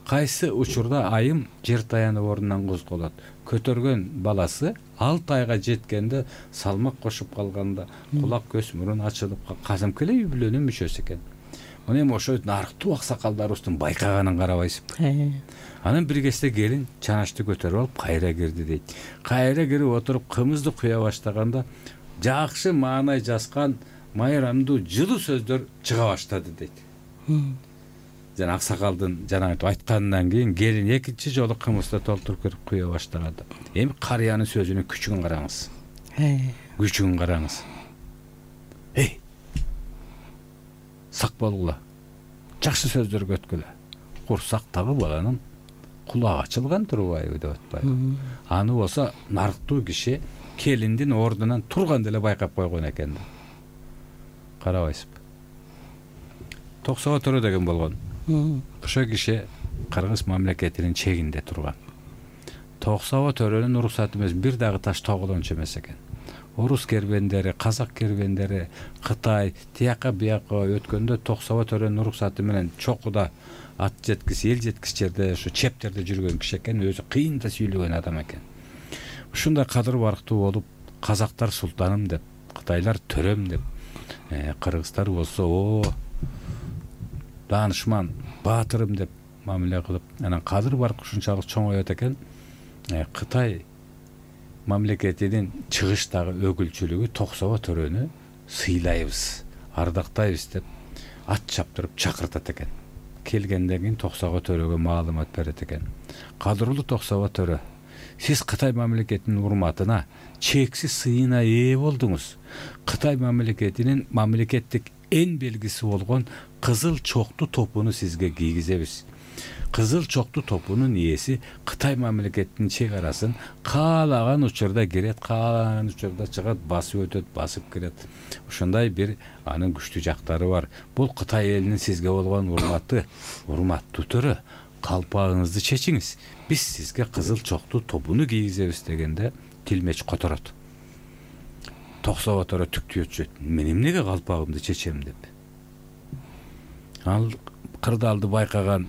кайсы учурда айым жер таянып ордунан козголот. Көтөргөн баласы 6 айга жеткенде салмак кошуп калганда кулак, көз, мурун ачылып казымкы эле үй бүлөнүн мүчөсү экен. Мына эми ошо нарктуу аксакалдарыбыздын байкаганын карабайсызбы? Анан бир кезде келин чанашты көтөрүп алып кайра кирди дейт. Кайра кирип отуруп кымызды куя баштаганда жакшы маанай жазган майрамдуу жылуу сөздөр чыга баштады дейт. Жана аксакалдын жанагы айтканынан кийин келин экинчи жолу кымызды толтуруп кирип куя баштаганда эми карыянын сөзүнүн күчүн караңыз. Күчүн караңыз. Сак болгула. Жакшы сөздөргө өткүлө. Курсактагы баланын кулагы ачылган турбайбы деп атпайбы? Аны болсо нарктуу киши келиндин ордунан турганда эле байкап койгон экен. Карабайсызбы? Токсоого төрө деген болгон. Ошо киши Кыргыз мамлекетинин чегинде турган. Токсоого төрөнүн уруксаты эмес, бир дагы таш тогулончу эмес экен. Орус кербендери, казак кербендери, Кытай, тияка бияка өткөндө Токсоого төрөнүн уруксаты менен чокуда ат жеткис, эл жеткис жерде ошо чептерде жүргөн киши экен, өзү кыйын да сүйлөгөн адам экен. Ушундай кадыр барктуу болуп, казактар султаным деп, кытайлар төрөм деп, кыргыздар болсо даанышман, баатырым деп мамиле кылып, анан кадыр барк ушунчалык чоңойот экен. Кытай мамлекетинин чыгыштагы өкүлчүлүгү Токсоого төрөнү сыйлайбыз, ардактайбыз деп ат чаптырып чакыртат экен. Келгенден кийин Токсоого төрөгө маалымат берет экен. Кадырлуу Токсоого төрө, сиз Кытай мамлекетинин урматына, чексиз сыйына ээ болдуңуз. Кытай мамлекетинин мамлекеттик эн белгиси болгон кызыл чокту топуну сизге кийгизебиз. Кызыл чокту топунун ээси Кытай мамлекетинин чек арасын каалаган учурда кирет, каалаган учурда чыгат, басып өтөт, басып кирет. Ошондой бир анын күчтүү жактары бар. Бул Кытай элинин сизге болгон урматы. Урматтуу төрө, калпагыңызды чечиңиз. Биз сизге кызыл чокту топуну кийгизебиз дегенде тилмеч которот. Токсоого төрө түктүөчү. Мен эмнеге калпагымды чечем деп. Ал кырдаалды байкаган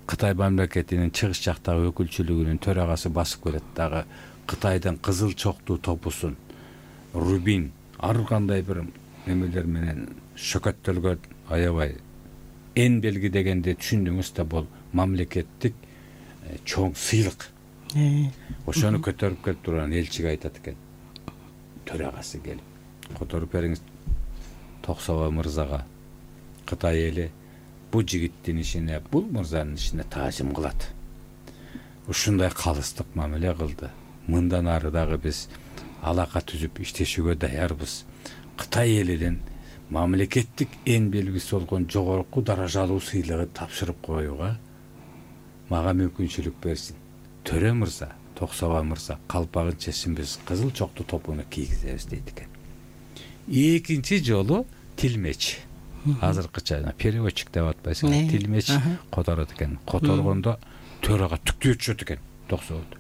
Кытай мамлекетинин чыгыш жактагы өкүлчүлүгүнүн төрагасы басып келет дагы Кытайдын кызыл чоктуу топусун, рубин, ар кандай бир эмелер менен шөкөттөлгөн аябай эн белги дегенди түшүндүңүз да, бул мамлекеттик чоң сыйлык. Ошону көтөрүп келип турган элчиге айтат экен. Төрагасы келип, которуп бериңиз Токсоого мырзага. Кытай эли бул жигиттин ишине, бул мырзанын ишине таазим кылат. Ушундай калыстык мамиле кылды. Мындан ары дагы биз алака түзүп иштешүүгө даярбыз. Кытай элинин мамлекеттик эң белгиси болгон жогорку даражалуу сыйлыгы тапшырып коюуга мага мүмкүнчүлүк берсин. Төрө мырза, Токсоба мырза, калпагын чечсин, биз кызыл чокту топуну кийгизебиз дейт экен. Экинчи жолу тилмеч. Азыркыча переводчик деп атпайсыңбы? Тилмеч которот экен. Которгондо төрага түктү өтүшөт экен Токсободо.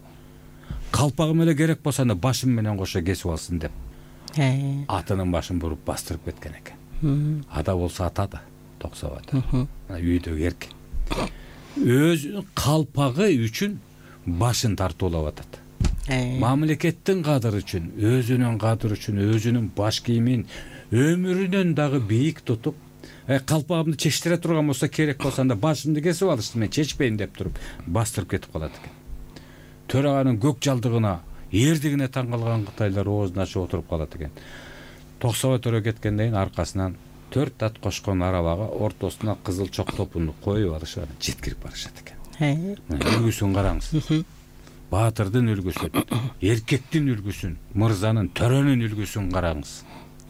Калпагым эле керек болсо аны башым менен кошо кесип алсын деп. Атынын башын буруп бастырып кеткен экен. Ада болсо атады Токсободо. Үйдөгү эркек. Өзүнүн калпагы үчүн башын тартуулап атат. Мамлекеттин кадыры үчүн, өзүнүн кадыры үчүн, өзүнүн баш кийимин өмүрүнөн дагы бийик тутуп, калпагымды чечтире турган болсо, керек болсо анда башымды кесип алышты, мен чечпейм деп туруп бастырып кетип калат экен. Төраганын көк жалдыгына, эрдигине таң калган кытайлар оозун ачып отуруп калат экен. Токсоба төрө кеткенден кийин аркасынан 4 ат кошкон арабага ортосуна кызыл чок топуну коюп алышып жеткирип барышат экен. Үлгүсүн караңыз. Баатырдын үлгүсүн, эркектин үлгүсүн, мырзанын, төрөнүн үлгүсүн караңыз.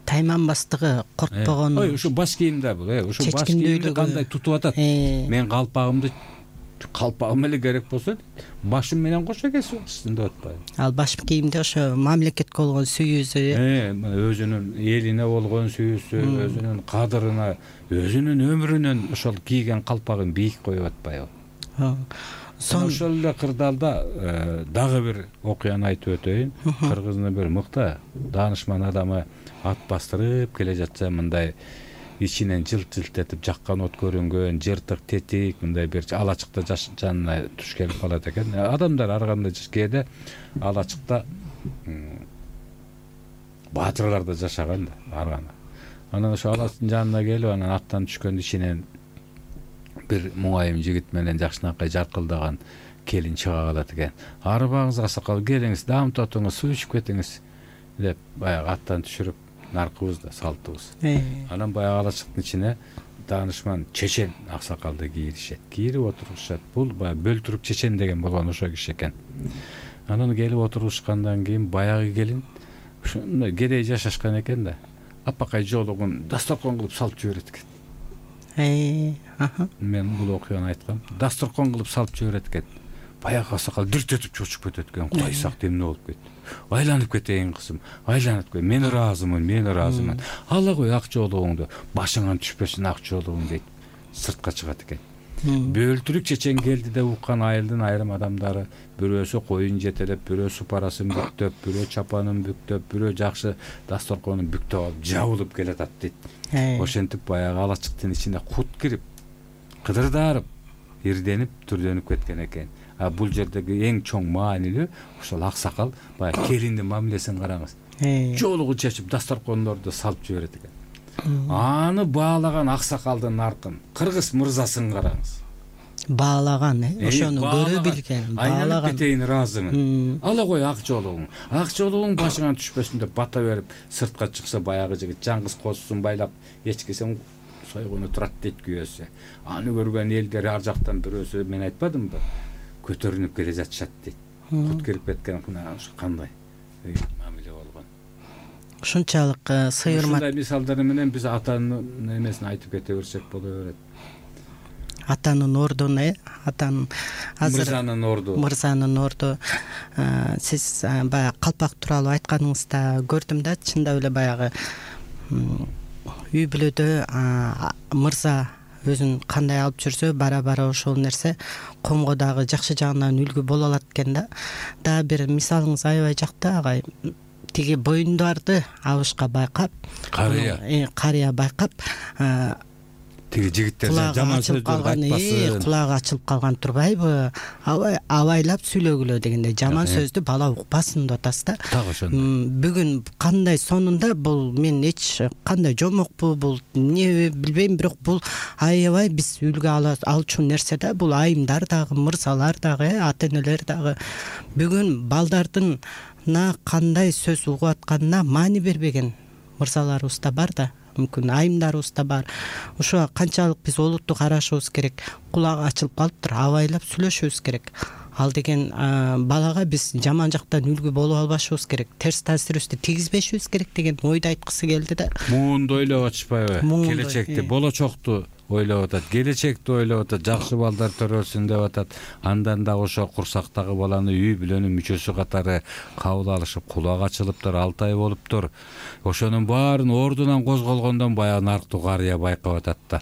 Тайманбастыгы, коркпогону. Ушу баш кийимде бул, ушу баш кийимди кандай тутуп атат. Мен калпагым эле керек болсо, башым менен кошо кесип алышсын деп атпайбы. Ал баш кийимде ошо мамлекетке болгон сүйүүсү, өзүнүн элине болгон сүйүүсү, өзүнүн кадырына, өзүнүн өмүрүнөн ошол кийген калпагын бийик коюп атпайбы. Ошол эле кырдаалда дагы бир окуяны айтып өтөйүн. Кыргыздын бир мыкты даанышман адамы ат бастырып келе жатса, мындай ичинен жылт-жылт этип жаккан от көрүнгөн, жыртык, тетик, мындай бир алачыкта жанына туш келип калат экен. Адамдар ар кандай кээде алачыкта баатырлар да жашаган да, арганы. Анан ошо алачыктын жанына келип, анан аттан түшкөн ичинен бир муңайым жигит менен жакшынакай жаркылдаган келин чыга калат экен. Арбаңыз аксакал, келиңиз, дам тотуңуз, суу ичип кетиңиз деп баягы аттан түшүрүп наркыбыз да салтыбыз. Анан баягы алачыктын ичине даанышман чечен аксакалды кийиришет. Кийирип отурушат. Бул баягы бөлтүрүк чечен деген болгон ошо киши экен. Анан келип отурушкандан кийин баягы келин ушундай кедей жашашкан экен да. Апакай жолугун дасторкон кылып салып жиберет экен. Мен бул окуяны айткам. Дасторкон кылып салып жиберет экен. Баягы аксакал дүрт этип чочуп кетет экен. Кудай сакт, эмне болуп кетти? Айланып кетейин кызым, айланып кет. Мен ыраазымын. Ала кой ак жолугуңду, башыңан түшпөсүн ак жолугуң дейт. Сыртка чыгат экен. Бөлтүрүк чечен келди деп уккан айылдын айрым адамдары бирөөсү коюн жетелеп, бирөөсү парасын бүктөп, бирөө чапанын бүктөп, бирөө жакшы дасторконун бүктөп алып жабылып келатат дейт. Ошентип баягы алачыктын ичине кут кирип, кыдырдарып, ирденип, түрдөнүп кеткен экен. Бул жердеги эң чоң маанилүү ошол аксакал баягы келиндин мамилесин караңыз. Жолугун чечип дасторкондорду салып жиберет экен. Аны баалаган аксакалдын наркын, кыргыз мырзасын караңыз. Баалаган, ошону көрө билген, баалаган. Айланып кетейин ыраазымын. Ала кой ак жолугуң. Ак жолугуң башыңан түшпөсүн деп бата берип, сыртка чыкса баягы жигит жаңгыз козусун байлап, эчкисин сойгону турат дейт күйөөсү. Аны көргөн элдер ар жактан бирөөсү, мен айтпадымбы? Көтөрүнүп келе жатышат дейт. Кут кирип кеткен кандай мамиле болгон. Ушунчалык сыйырмат. Ушундай мисалдар менен биз атанын эмесин айтып кете берсек боло берет. Атанын ордун, атанын азыр мырзанын орду. Сиз баягы калпак тууралуу айтканыңызда көрдүм да, чындап эле баягы үй бүлөдө мырза өзүн кандай алып жүрсө, бара ошол нерсе комго дагы жакшы жагынан үлгү боло алат экен да. Дагы бир мисалыңыз аябай жакты, агай. Тиги боюндарды абышка байкап, карыя байкап, тиги жигиттер жаман сөздөрдү айтпасын. Кулагы ачылып калган турбайбы? Абайлап сүйлөгүлө дегенде жаман сөздү бала укпасын деп атасыз да. Так ошондой. Бүгүн кандай сонунда бул мен эч кандай жомокпу, бул эмне билбейм, бирок бул аябай биз үлгү алчу нерсе да. Бул айымдар дагы, мырзалар дагы, ата-энелер дагы бүгүн балдардын кандай сөз угуп атканына маани бербеген мырзаларыбыз да бар да. мүмкүн айымдарыбыз да бар. Ошо канчалык биз олуттуу карашыбыз керек, кулагы ачылып калыптыр, абайлап сүйлөшүбүз керек. Ал деген балага биз жаман жактан үлгү болуп албашыбыз керек, терс таасирибизди тийгизбешибиз керек деген ойду айткысы келди да. Муунду ойлоп атышпайбы? Келечекти, болочокту ойлоп атат, келечекти ойлоп атат, жакшы балдар төрөлсүн деп атат. Андан да ошо курсактагы баланы үй бүлөнүн мүчөсү катары кабыл алышып, кулак ачылыптыр, 6 ай болуптур. Ошонун баарын ордунан козголгондон баягы нарктуу карыя байкап атат да.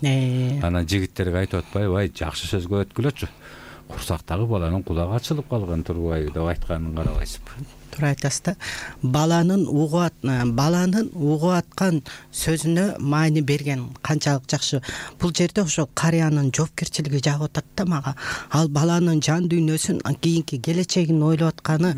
Анан жигиттерге айтып атпайбы, ай жакшы сөзгө өткүлөчү. Курсактагы баланын кулагы ачылып калган турбайбы деп айтканын карабайсызбы? Туура айтасыз да. Баланын угуп аткан сөзүнө маани берген канчалык жакшы. Бул жерде ошо карыянын жоопкерчилиги жагып атат да мага. Ал баланын жан дүйнөсүн, кийинки келечегин ойлоп атканы,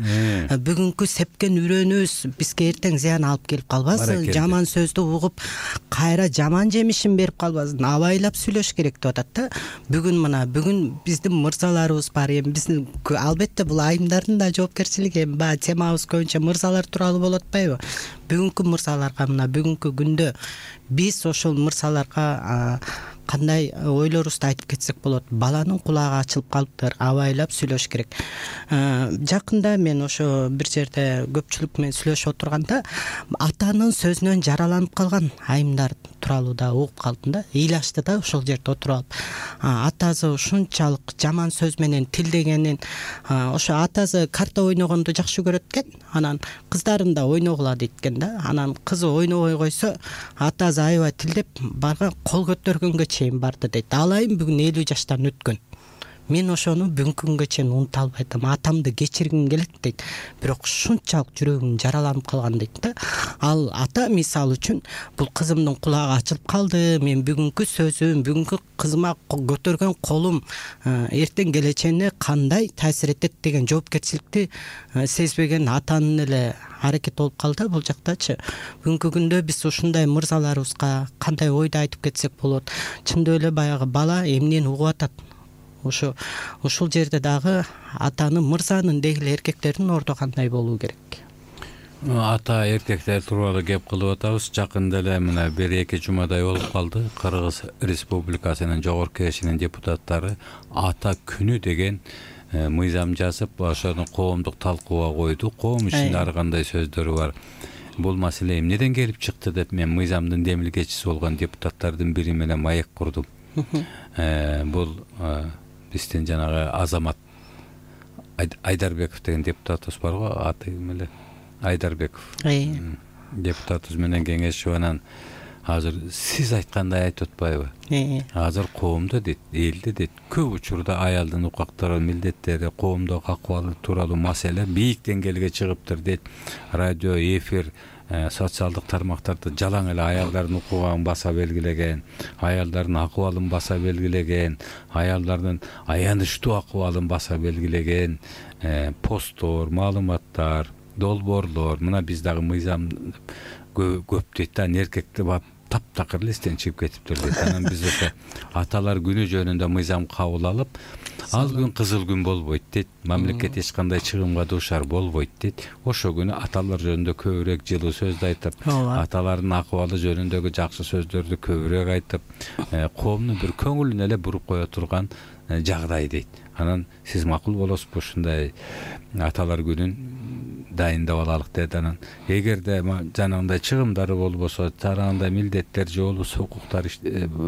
бүгүнкү сепкен үрөөнүбүз бизге эртең зыян алып келип калбасын, жаман сөздү угуп кайра жаман жемишин берип калбасын, абайлап сүйлөш керек деп атат да. Бүгүн биздин мырзаларыбыз бар. Эми биздин албетте бул айымдардын да жоопкерчилиги, баягы темабыз көбүнчө мырзалар тууралуу болуп атпайбы? Бүгүнкү мырзаларга бүгүнкү күндө биз ошол мырзаларга кандай ойлорубузду айтып кетсек болот? Баланын кулагы ачылып калыптыр, абайлап сүйлөш керек. Жакында мен ошо бир жерде көпчүлүк менен сүйлөшүп отурганда атанын сөзүнөн жараланып калган айымдар тууралуу да угуп калдым да. Ыйлашты да ошол жерде отуруп алып. Атасы ушунчалык жаман сөз менен тилдегенин, ошо атасы карта ойногонду жакшы көрөт экен. Анан кыздарын да ойногула дейт экен да. Анан кызы ойнобой койсо, атасы аябай тилдеп барган, кол көтөргөнгө чейин барды дейт. Ал айым бүгүн 50 жаштан өткөн. Мен ошону бүгүнкү күнгө чейин унута албайм. Атамды кечиргим келет дейт. Бирок ушунчалык жүрөгүм жараланып калган дейт да. Ал ата мисалы үчүн бул кызымдын кулагы ачылып калды. Мен бүгүнкү сөзүм, бүгүнкү кызыма көтөргөн колум эртең келечегине кандай таасир этет деген жоопкерчиликти сезбеген атанын эле аракети болуп калды бул жактачы. Бүгүнкү күндө биз ушундай мырзаларыбызга кандай ойду айтып кетсек болот? Чындап эле баягы бала эмнени угуп атат? Ушул жерде дагы атанын, мырзанын дегиле эркектердин орду кандай болуу керек? Ата эркектер тууралуу кеп кылып атабыз. Жакында эле мына 1-2 жумадай болуп калды. Кыргыз Республикасынын жогорку кеңешинин депутаттары ата күнү деген мыйзам жазып, ошону коомдук талкууга койду. Коом ичинде ар кандай сөздөрү бар. Бул маселе эмнеден келип чыкты деп мен мыйзамдын демилгечиси болгон депутаттардын бири менен маек курдум. Бул биздин жанагы Азамат Айдарбеков деген депутатыбыз бар го, аты ким эле? Айдарбеков. Депутатыбыз менен кеңешип, анан азыр сиз айткандай айтып атпайбы? Азыр коомдо дейт, элде дейт, көп учурда аялдын укуктары, милдеттери, коомдогу акыбалы тууралуу маселе бийик деңгээлге чыгыптыр дейт. Радио, эфир, социалдык тармактарда жалаң эле аялдардын укугун баса белгилеген, аялдардын акыбалын баса белгилеген, аялдардын аянычтуу акыбалын баса белгилеген посттор, маалыматтар, долбоорлор, мына биз дагы мыйзам көп дейт да, эркекти таптакыр эле эстен чыгып кетиптир дейт. Анан биз ошо аталар күнү жөнүндө мыйзам кабыл алып, ал күн кызыл күн болбойт дейт, мамлекет эч кандай чыгымга дуушар болбойт дейт. Ошо күнү аталар жөнүндө көбүрөөк жылуу сөздү айтып, аталардын акыбалы жөнүндөгү жакшы сөздөрдү көбүрөөк айтып, коомдун бир көңүлүн эле буруп кое турган жагдай дейт. Анан сиз макул болосузбу ушундай аталар күнүн дайындап алалык дейт. Анан эгерде жанагындай чыгымдары болбосо, жанагындай милдеттер же болбосо укуктар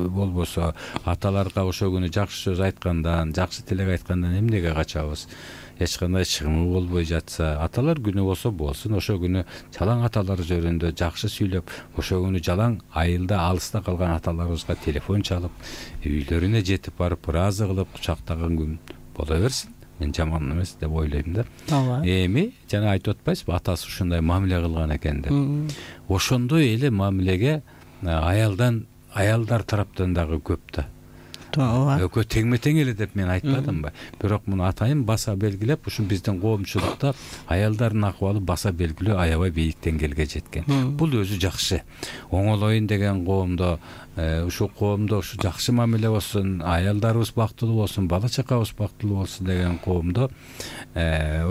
болбосо, аталарга ошо күнү жакшы сөз айткандан, жакшы тилек айткандан эмнеге качабыз? Эч кандай чыгымы болбой жатса, аталар күнү болсо болсун, ошо күнү жалаң аталар жөнүндө жакшы сүйлөп, ошо күнү жалаң айылда алыста калган аталарыбызга телефон чалып, үйлөрүнө жетип барып, ыраазы кылып кучактаган күн боло берсин. Мен жаман эмес деп ойлойм да. Эми жана айтып атпайсызбы, атасы ушундай мамиле кылган экен деп. Ошондой эле мамилеге аялдар тараптан дагы көп да. Экөө теңме тең эле деп мен айтпадымбы? Бирок муну атайын баса белгилеп, ушу биздин коомчулукта аялдардын акыбалы баса белгилөө аябай бийик деңгээлге жеткен. Бул өзү жакшы. Оңолоюн деген коомдо ушул коомдо ушу жакшы мамиле болсун, аялдарыбыз бактылуу болсун, бала чакабыз бактылуу болсун деген коомдо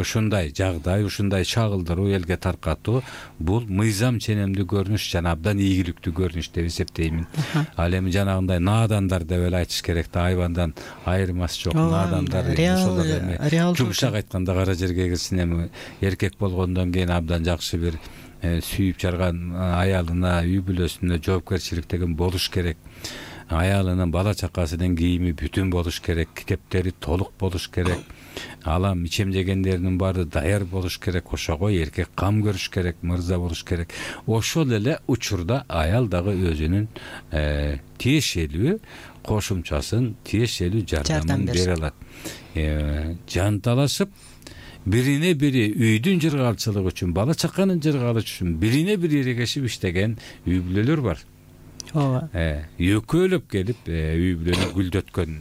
ушундай жагдай, ушундай чагылдыруу, элге таркатуу бул мыйзам ченемдүү көрүнүш жана абдан ийгиликтүү көрүнүш деп эсептеймин. Ал эми жанагындай наадандар деп эле айтыш керек да, айбандан айырмасы жок. Наадандар ошолор эми жумшак айтканда кара жерге кирсин, эми эркек болгондон кийин абдан жакшы бир сүйүп жарган аялына, үй бүлөсүнө жоопкерчиликтеген болуш керек. Аялынын, бала чакасынын кийими бүтүн болуш керек, китептери толук болуш керек. Алам ичемдегендеринин баары даяр болуш керек. Ошого эркек кам көрүш керек, мырза болуш керек. Ошол эле учурда аял дагы өзүнүн тиешелүү кошумчасын, тиешелүү жардамын бере алат. Жанталашып бирине бири үйдүн жыргалчылыгы үчүн, бала чаканын жыргалышы үчүн бирине бири эрегешип иштеген үй бүлөлөр бар. Ооба. Өкөлөп келип үй бүлөнү гүлдөткөн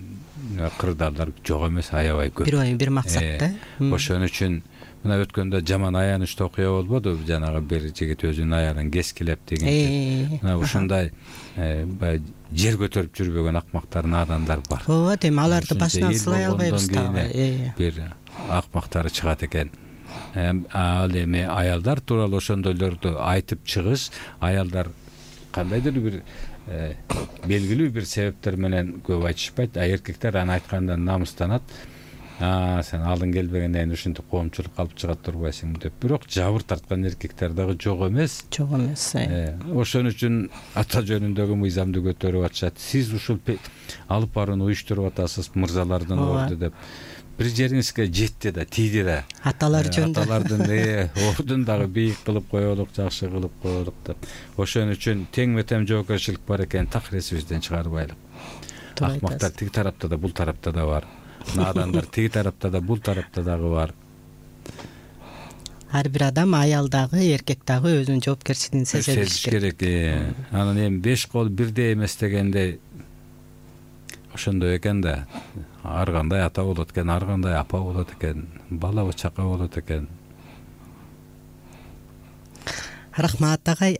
кырдаалдар жок эмес, аябай көп. Бир максатта. Ошон үчүн мына өткөндө жаман аянычтуу окуя болбоду, жанагы бир жигит өзүнүн аялын кескилеп деген. Мына ушундай жер көтөрүп жүрбөгөн акмактар, наадандар бар. Ооба, эми аларды башынан сылай албайбыз да. Бир акмактары чыгат экен. Ал эми аялдар тууралуу ошондойлорду айтып чыгыш, аялдар кандайдыр бир белгилүү бир себептер менен көп айтышпайт, эркектер аны айтканда намыстанат. Сен алдың келбегенден ушинтип коомчулук алып чыга турбайсың деп. Бирок жабыр тарткан эркектер дагы жок эмес. Жок эмес. Ошон үчүн ата жөнүндөгү мыйзамды көтөрүп атышат. Сиз ушул алып барууну уюштуруп атасыз, мырзалардын орду деп. Бир жериңизге жетти да, тийди да. Аталар жөнүндө. Аталардын ордун дагы бийик кылып коелук, жакшы кылып коелук деп. Ошон үчүн тең-метем жоопкерчилик бар экен, такыресибизден чыгарбайлык. Акмактар тиги тарапта да, бул тарапта да бар. Наадандар тиги тарапта да, бул тарапта дагы бар. Ар бир адам, аял дагы, эркек дагы өзүнүн жоопкерчилигин сезиш керек. Анан эми 5 кол бирдей эмес дегенде ошондой экен да. Ар кандай ата болот экен, ар кандай апа болот экен, бала чака болот экен. Рахмат агай,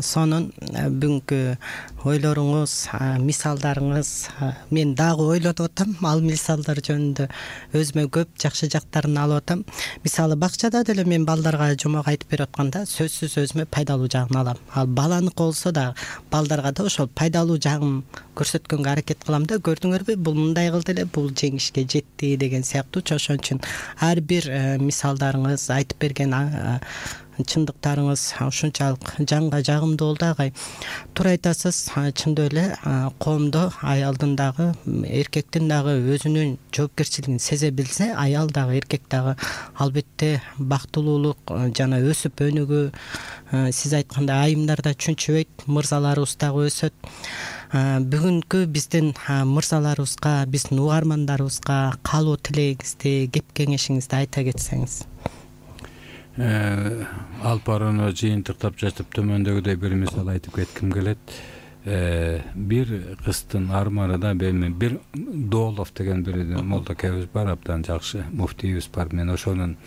сонун бүгүнкү ойлоруңуз, мисалдарыңыз, мен дагы ойлонуп атам, ал мисалдар жөнүндө өзүмө көп жакшы жактарын алып атам. Мисалы бакчада деле мен балдарга жомок айтып берип атканда сөзсүз өзүмө пайдалуу жагын алам. Ал баланыкы болсо да балдарга да ошол пайдалуу жагын көрсөткөнгө аракет кылам да, көрдүңөрбү, бул мындай кылды эле, бул жеңишке жетти деген сыяктуу. Ошон үчүн ар бир мисалдарыңыз, айтып берген чындыктарыңыз ушунчалык жанга жагымдуу болду агай. Туура айтасыз, чындап эле коомдо аялдын дагы, эркектин дагы өзүнүн жоопкерчилигин сезе билсе, аял дагы, эркек дагы албетте бактылуулук жана өсүп өнүгүү, сиз айткандай айымдар да чүнчүбөйт, мырзаларыбыз дагы өсөт. Бүгүнкү биздин мырзаларыбызга, биздин угармандарыбызга каалоо тилегиңизди, кеп кеңешиңизди айта кетсеңиз. Алып барууну жыйынтыктап жатып төмөндөгүдөй бир мисал айтып кетким келет. Бир кыздын арманы да, бир Доолов деген бир молдокебиз бар, абдан жакшы муфтийибиз бар. Мен ошонун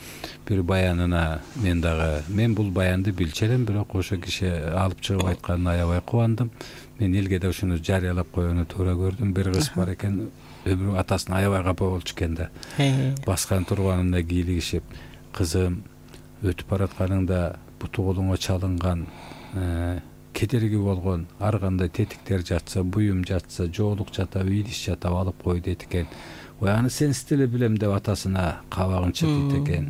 бир баянына мен бул баянды билчү элем, бирок ошо киши алып чыгып айтканына аябай кубандым. Мен элге да ушуну жарыялап коюуну туура көрдүм. Бир кыз бар экен, өмүрү атасына аябай капа болчу экен да. Баскан турганында кийлигишип, кызым өтүп баратканыңда буту колуңа чалынган, кедерги болгон ар кандай тетиктер жатса, буюм жатса, жоолук жатабы, идиш жатабы алып кой дейт экен. Ой, аны сенсиз деле билем деп атасына кабагын чытыйт экен.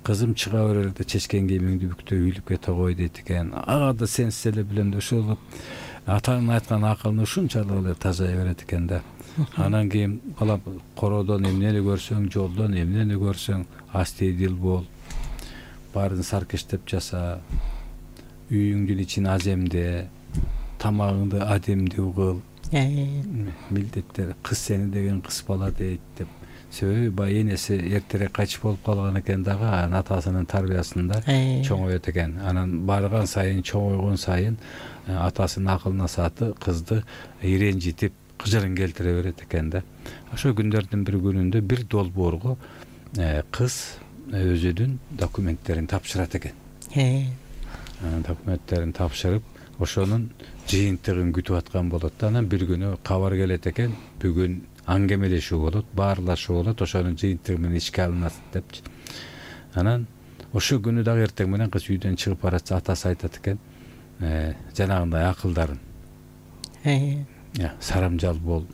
Кызым чыга берерде чечкен кийимиңди бүктөп үйлүп кете кой дейт экен. Ага да сенсиз деле билем деп ошол атанын айткан акылын ушунчалык эле тазая берет экен да. Анан кийин бала короодон эмнени көрсөң, жолдон эмнени көрсөң, астейдил бол. Баарын саркештеп жаса, үйүңдүн ичин аземде, тамагыңды адемдүү кыл. Милдеттер, кыз сени деген кыз бала дейт деп. Себеби бай энеси эртерээк кайтыш болуп калган экен дагы, атасынын тарбиясында чоңоет экен. Анан барган сайын, чоңойгон сайын атасынын акылына сааты кызды иренжитип, кыжырын келтире берет экен да. Ошо күндөрдүн бир күнүндө бир долбоорго кыз өзүнүн документтерин тапшырат экен. Документтерин тапшырып, ошонун жыйынтыгын күтүп аткан болот да. Анан бир күнү кабар келет экен, бүгүн аңгемелешүү болот, баарлашуу болот, ошонун жыйынтыгы менен ишке алынат депчи. Анан ошо күнү дагы эртең менен кыз үйдөн чыгып баратса, атасы айтат экен, жанагындай акылдарын сарамжал бол,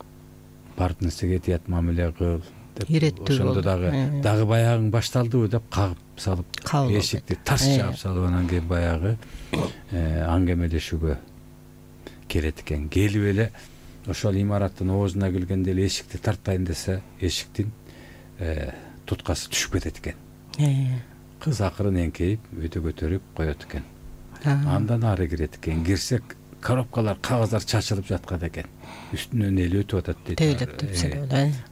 барып нерсеге тият мамиле кыл деп. Иреттүү ошондо дагы баягың башталдыбы деп кагып салып, эшикти тарс жаап салып, анан кийин баягы аңгемелешүүгө келет экен. Келип эле ошол имараттын оозуна келгенде эле эшикти тартайын десе, эшиктин туткасы түшүп кетет экен. Кыз акырын эңкейип өтө көтөрүп коет экен. Андан ары кирет экен. Кирсек, коробкалар, кагаздар чачылып жаткан экен. Үстүнөн эл өтүп атат дейт. Тейлеп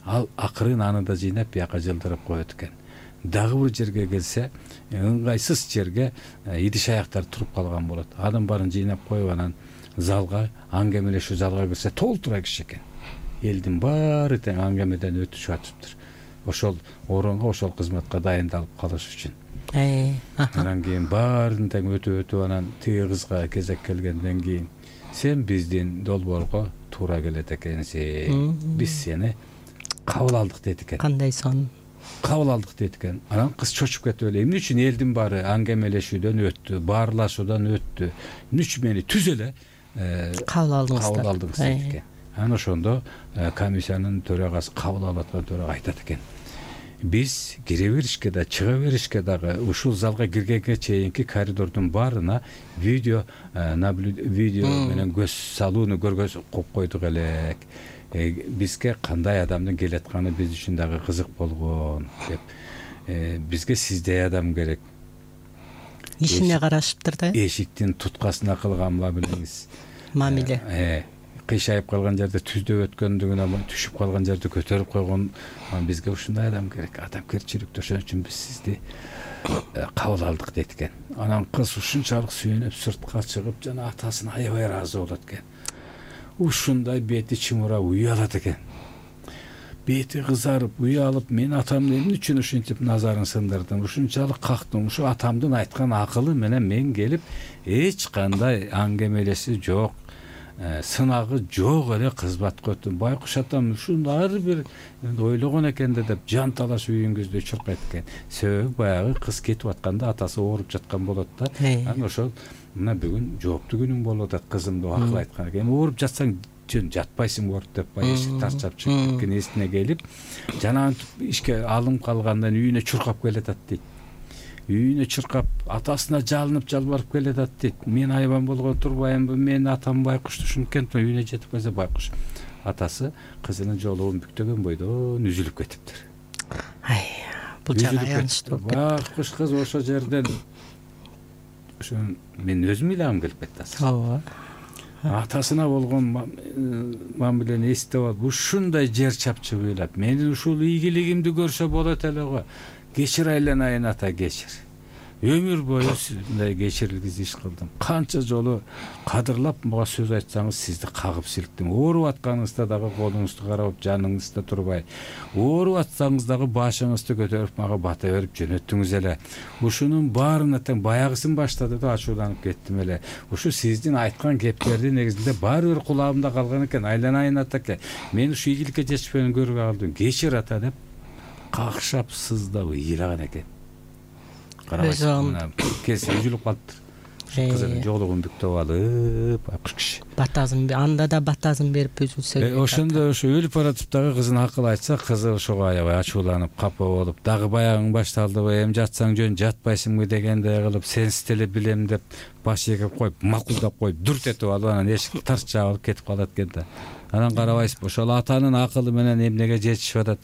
Ал акырын аны да жыйнап бияка жылдырып коет экен. Дагы бир жерге келсе, ыңгайсыз жерге идиш аяктар туруп калган болот. Анын баарын жыйнап коюп, анан залга, аңгемелешүү залга кирсе, толтура киши экен. Элдин баары тең аңгемеден өтүшүп атыптыр. Ошол орунга, ошол кызматка дайындалып калыш үчүн. Анан кийин баарын тең өтүп, анан тиги кызга кезек келгенден кийин, сен биздин долбоорго туура келет экенсиң. Биз сени кабыл алдык дейт экен. Кандай сон? Кабыл алдык дейт экен. Анан кыз чочуп кетип эле, эмне үчүн элдин баары аңгемелешүүдөн өттү, баарлашуудан өттү, эмне үчүн мени түз эле кабыл алдыңыз дейт экен. Анан ошондо комиссиянын төрагасы, кабыл алып аткан төрага айтат экен, биз кире беришке да, чыга беришке дагы ушул залга киргенге чейинки коридордун баарына видео менен көз салууну көргөзүп койдук элек. Бизге кандай адамдын келатканы биз үчүн дагы кызык болгон деп. Бизге сиздей адам керек. Ишине карашыптыр да. Эшиктин туткасына кылган мамиле. Кыйшайып калган жерде түздөп өткөндүгүнө, түшүп калган жерде көтөрүп койгон. Бизге ушундай адам керек, адамгерчиликтүү. Ошон үчүн биз сизди кабыл алдык дейт экен. Анан кыз ушунчалык сүйүнүп сыртка чыгып, жана атасына аябай ыраазы болот экен. Ушундай бети чымырап уялат экен. Бети кызарып, уялып, мен атамды эмне үчүн ушинтип назарын сындырдым, ушунчалык кактым, ушу атамдын айткан акылы менен мен келип, эч кандай аңгемелеси жок, сынагы жок эле кызматка өттүм. Байкуш атам ушундай бир ойлогон экен деп жан талаш үйүңүздө чуркайт экен. Себеби баягы кыз кетип атканда атасы ооруп жаткан болот да. Анан ошол мына бүгүн жооптуу күнүң болуп атат, кызымды акыл айткан экен. Ооруп жатсаң жөн жатпайсың борт деп эшик тарчап чыгып кеткен эсине келип, жанагы ишке алым калгандан үйүнө чуркап келатат дейт. Үйүнө чуркап, атасына жалынып жалбарып келатат дейт. Мен айбан болгон турбайымбы, мен атам Байкушту ушинткенмин. Үйүнө жетип калса Байкуш атасы кызынын жолугун бүктөгөн бойдон үзүлүп кетиптир. Бул жагы аянычтуу. Байкуш кыз ошо жерден ошо мен өзүм ыйлагым келип кетти. Атасына болгон мамилени эстеп алып, ушундай жер чапчы ыйлап, менин ушул ийгилигимди көрсө болот эле го. Кечир айланайын ата, кечир. Өмүр бою мындай кечирилгиз иш кылдым. Канча жолу кадырлап мага сөз айтсаңыз, сизди кагып силктим. Ооруп атканыңызда дагы колуңузду карап, жаныңызда турбай, ооруп атсаңыз дагы башыңызды көтөрүп мага бата берип жөнөттүңүз эле. Ушунун баарына тең баягысын баштады да ачууланып кеттим эле. Ушу сиздин айткан кептердин негизинде баары бир кулагымда калган экен. Айланайын ата экен. Мен ушу ийгиликке жетишпеген көрүп калдым. Кечир ата деп какшап сыздап ыйлаган экен. Карабайсың, кесе үзүлүп калыптыр. Кызынын жолугун бүктөп алып, Байкуш киши. Батазын, анда да батазын берип үзүлсө. Ошондо ошо өлүп баратып дагы кызын акыл айтса, кызы ошого аябай ачууланып, капа болуп, дагы баягың башталдыбы, эми жатсаң жөн, жатпайсыңбы дегендей кылып, сенсиз деле билем деп баш эгип коюп, макулдап коюп, дүрт этип алып, анан эшикти тарс жаап кетип калат экен да. Анан карабайсызбы, ошол атанын акылы менен эмнеге жетишип атат.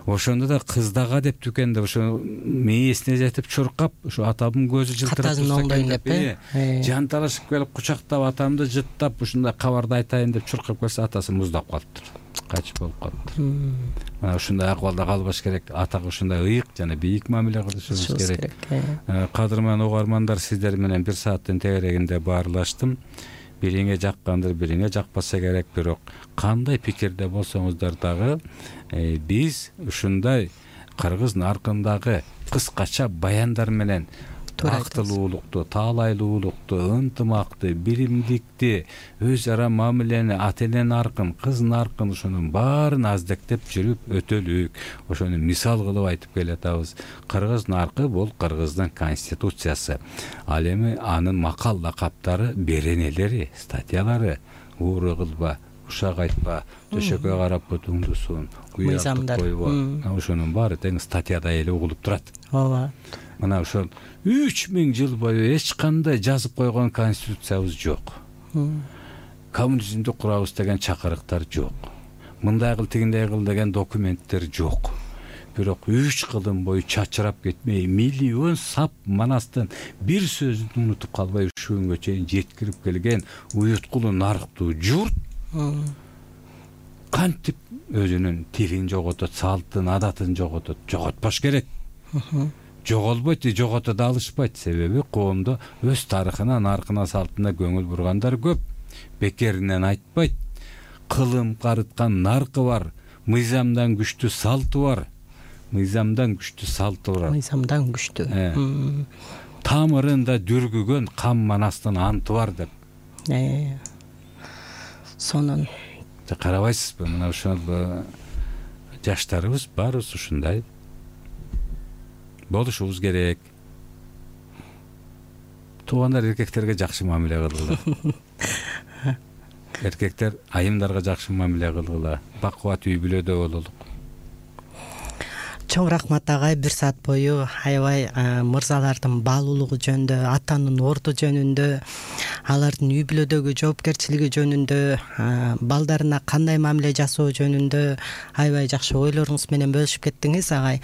Ошондо да кыздага деп түкенде, ошо мээсине жетип чуркап, ошо атамдын көзү жылтырап турса деп, жан талашып келип кучактап, атамды жыттап, ушундай кабарды айтайын деп чуркап келсе, атасы муздап калыптыр. Качып болуп калыптыр. Мына ушундай акыбалда калбаш керек. Атага ушундай ыйык жана бийик мамиле кылышыбыз керек. Кадырман угармандар, сиздер менен 1 сааттын тегерегинде баарлаштым. Бириңе жаккандыр, бириңе жакпаса керек, бирок кандай пикирде болсоңуздар дагы биз ушундай кыргыз наркындагы кыскача баяндар менен актылуулукту, таалайлуулукту, ынтымакты, биримдикти, өз ара мамилени, ата эненин аркын, кыздын аркын ошонун баарын аздектеп жүрүп өтөлүк. Ошону мисал кылып айтып келатабыз. Кыргыз наркы бул Кыргыздын конституциясы. Ал эми анын макал лакаптары, беренелери, статьялары: ууру кылба, ушак айтпа, төшөккө карап бутуңду суун, уяттык койбо. Ошонун баары тең статьяда эле угулуп турат. ооба. Мына ошол 3000 жыл бою эч кандай жазып койгон конституциябыз жок. Коммунизмди курабыз деген чакырыктар жок. Мындай кыл, тигиндей кыл деген документтер жок. Бирок 3 кылым бою чачырап кетмей, миллион сап манастын бир сөзүн унутуп калбай ушул күнгө чейин жеткирип келген уюткулуу нарктуу журт кантип өзүнүн тилин жоготот, салтын, адатын жоготот? Жоготпош керек. Жоголбойт, жогото да алышпайт. Себеби коомдо өз тарыхына, наркына, салтына көңүл бургандар көп. Бекеринен айтпайт. Кылым карыткан наркы бар, мыйзамдан күчтүү салты бар. Мыйзамдан күчтүү. Тамырында дүргүгөн кам манастын анты бар деп. Сонун карабайсызбы? Мына ошол жаштарыбыз баарыбыз ушундай болушубуз керек. Туугандар эркектерге жакшы мамиле кылгыла. Эркектер айымдарга жакшы мамиле кылгыла. Бакубат үй бүлөдө бололук. Чоң рахмат агай, 1 саат бою аябай мырзалардын баалуулугу жөнүндө, атанын орду жөнүндө, алардын үй бүлөдөгү жоопкерчилиги жөнүндө, балдарына кандай мамиле жасоо жөнүндө аябай жакшы ойлоруңуз менен бөлүшүп кеттиңиз агай.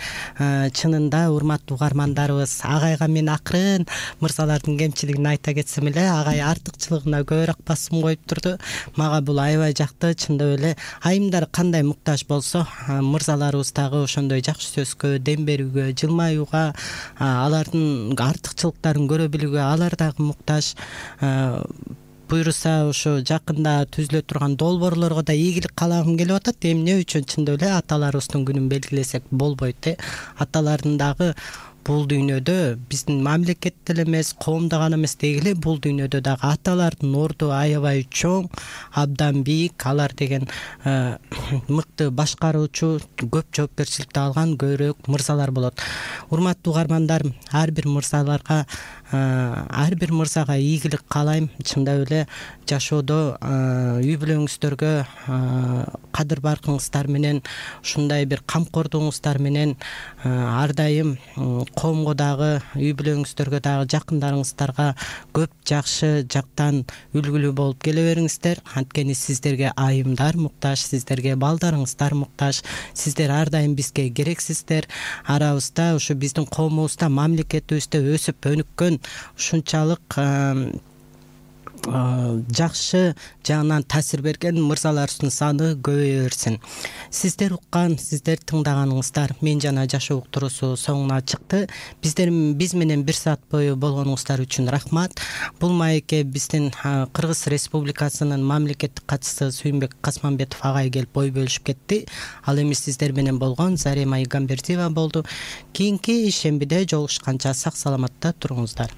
Чынында урматтуу угармандарыбыз, агайга мен акырын мырзалардын кемчилигин айта кетсем эле, агай артыкчылыгына көбүрөөк басым коюп турду. Мага бул аябай жакты. Чындап эле айымдар кандай муктаж болсо, мырзаларыбыз дагы ошондой жакшы сөзгө, дем берүүгө, жылмаюуга, алардын артыкчылыктарын көрө билүүгө алар дагы муктаж. Буюрса ошо жакында түзүлө турган долбоорлорго да ийгилик каалагым келип атат. Эмне үчүн? Чындап эле аталарыбыздын күнүн белгилесек болбойт. Аталардын дагы бул дүйнөдө биздин мамлекетте эле эмес, коомдо гана эмес дегиле, бул дүйнөдө дагы аталардын орду аябай чоң, абдан бийик. Алар деген мыкты башкаруучу, көп жоопкерчиликти алган көбүрөөк мырзалар болот. Урматтуу угармандар, ар бир мырзага ийгилик каалайм. Чындап эле жашоодо үй бүлөңүздөргө кадыр баркыңыздар менен, ушундай бир камкордугуңуздар менен ар дайым коомго дагы, үй бүлөңүздөргө дагы, жакындарыңыздарга көп жакшы жактан үлгүлүү болуп келе бериңиздер. Анткени сиздерге айымдар муктаж, сиздерге балдарыңыздар муктаж. Сиздер ар дайым бизге керексиздер. Арабызда, ушу биздин коомубузда, мамлекетибизде өсүп өнүккөн ушунчалык жакшы жагынан таасир берген мырзаларыбыздын саны көбөйө берсин. Сиздер уккан, сиздер тыңдаганыңыздар Мен жана жашоо уктуруусу соңуна чыкты. Биз менен 1 саат бою болгонуңуздар үчүн рахмат. Бул маекке биздин Кыргыз Республикасынын мамлекеттик катчысы Сүйүнбек Касманбетов агай келип ой бөлүшүп кетти. Ал эми сиздер менен болгон Зарема Игамбердиева болду. Кийинки шембиде жолугушканча сак саламатта туруңуздар.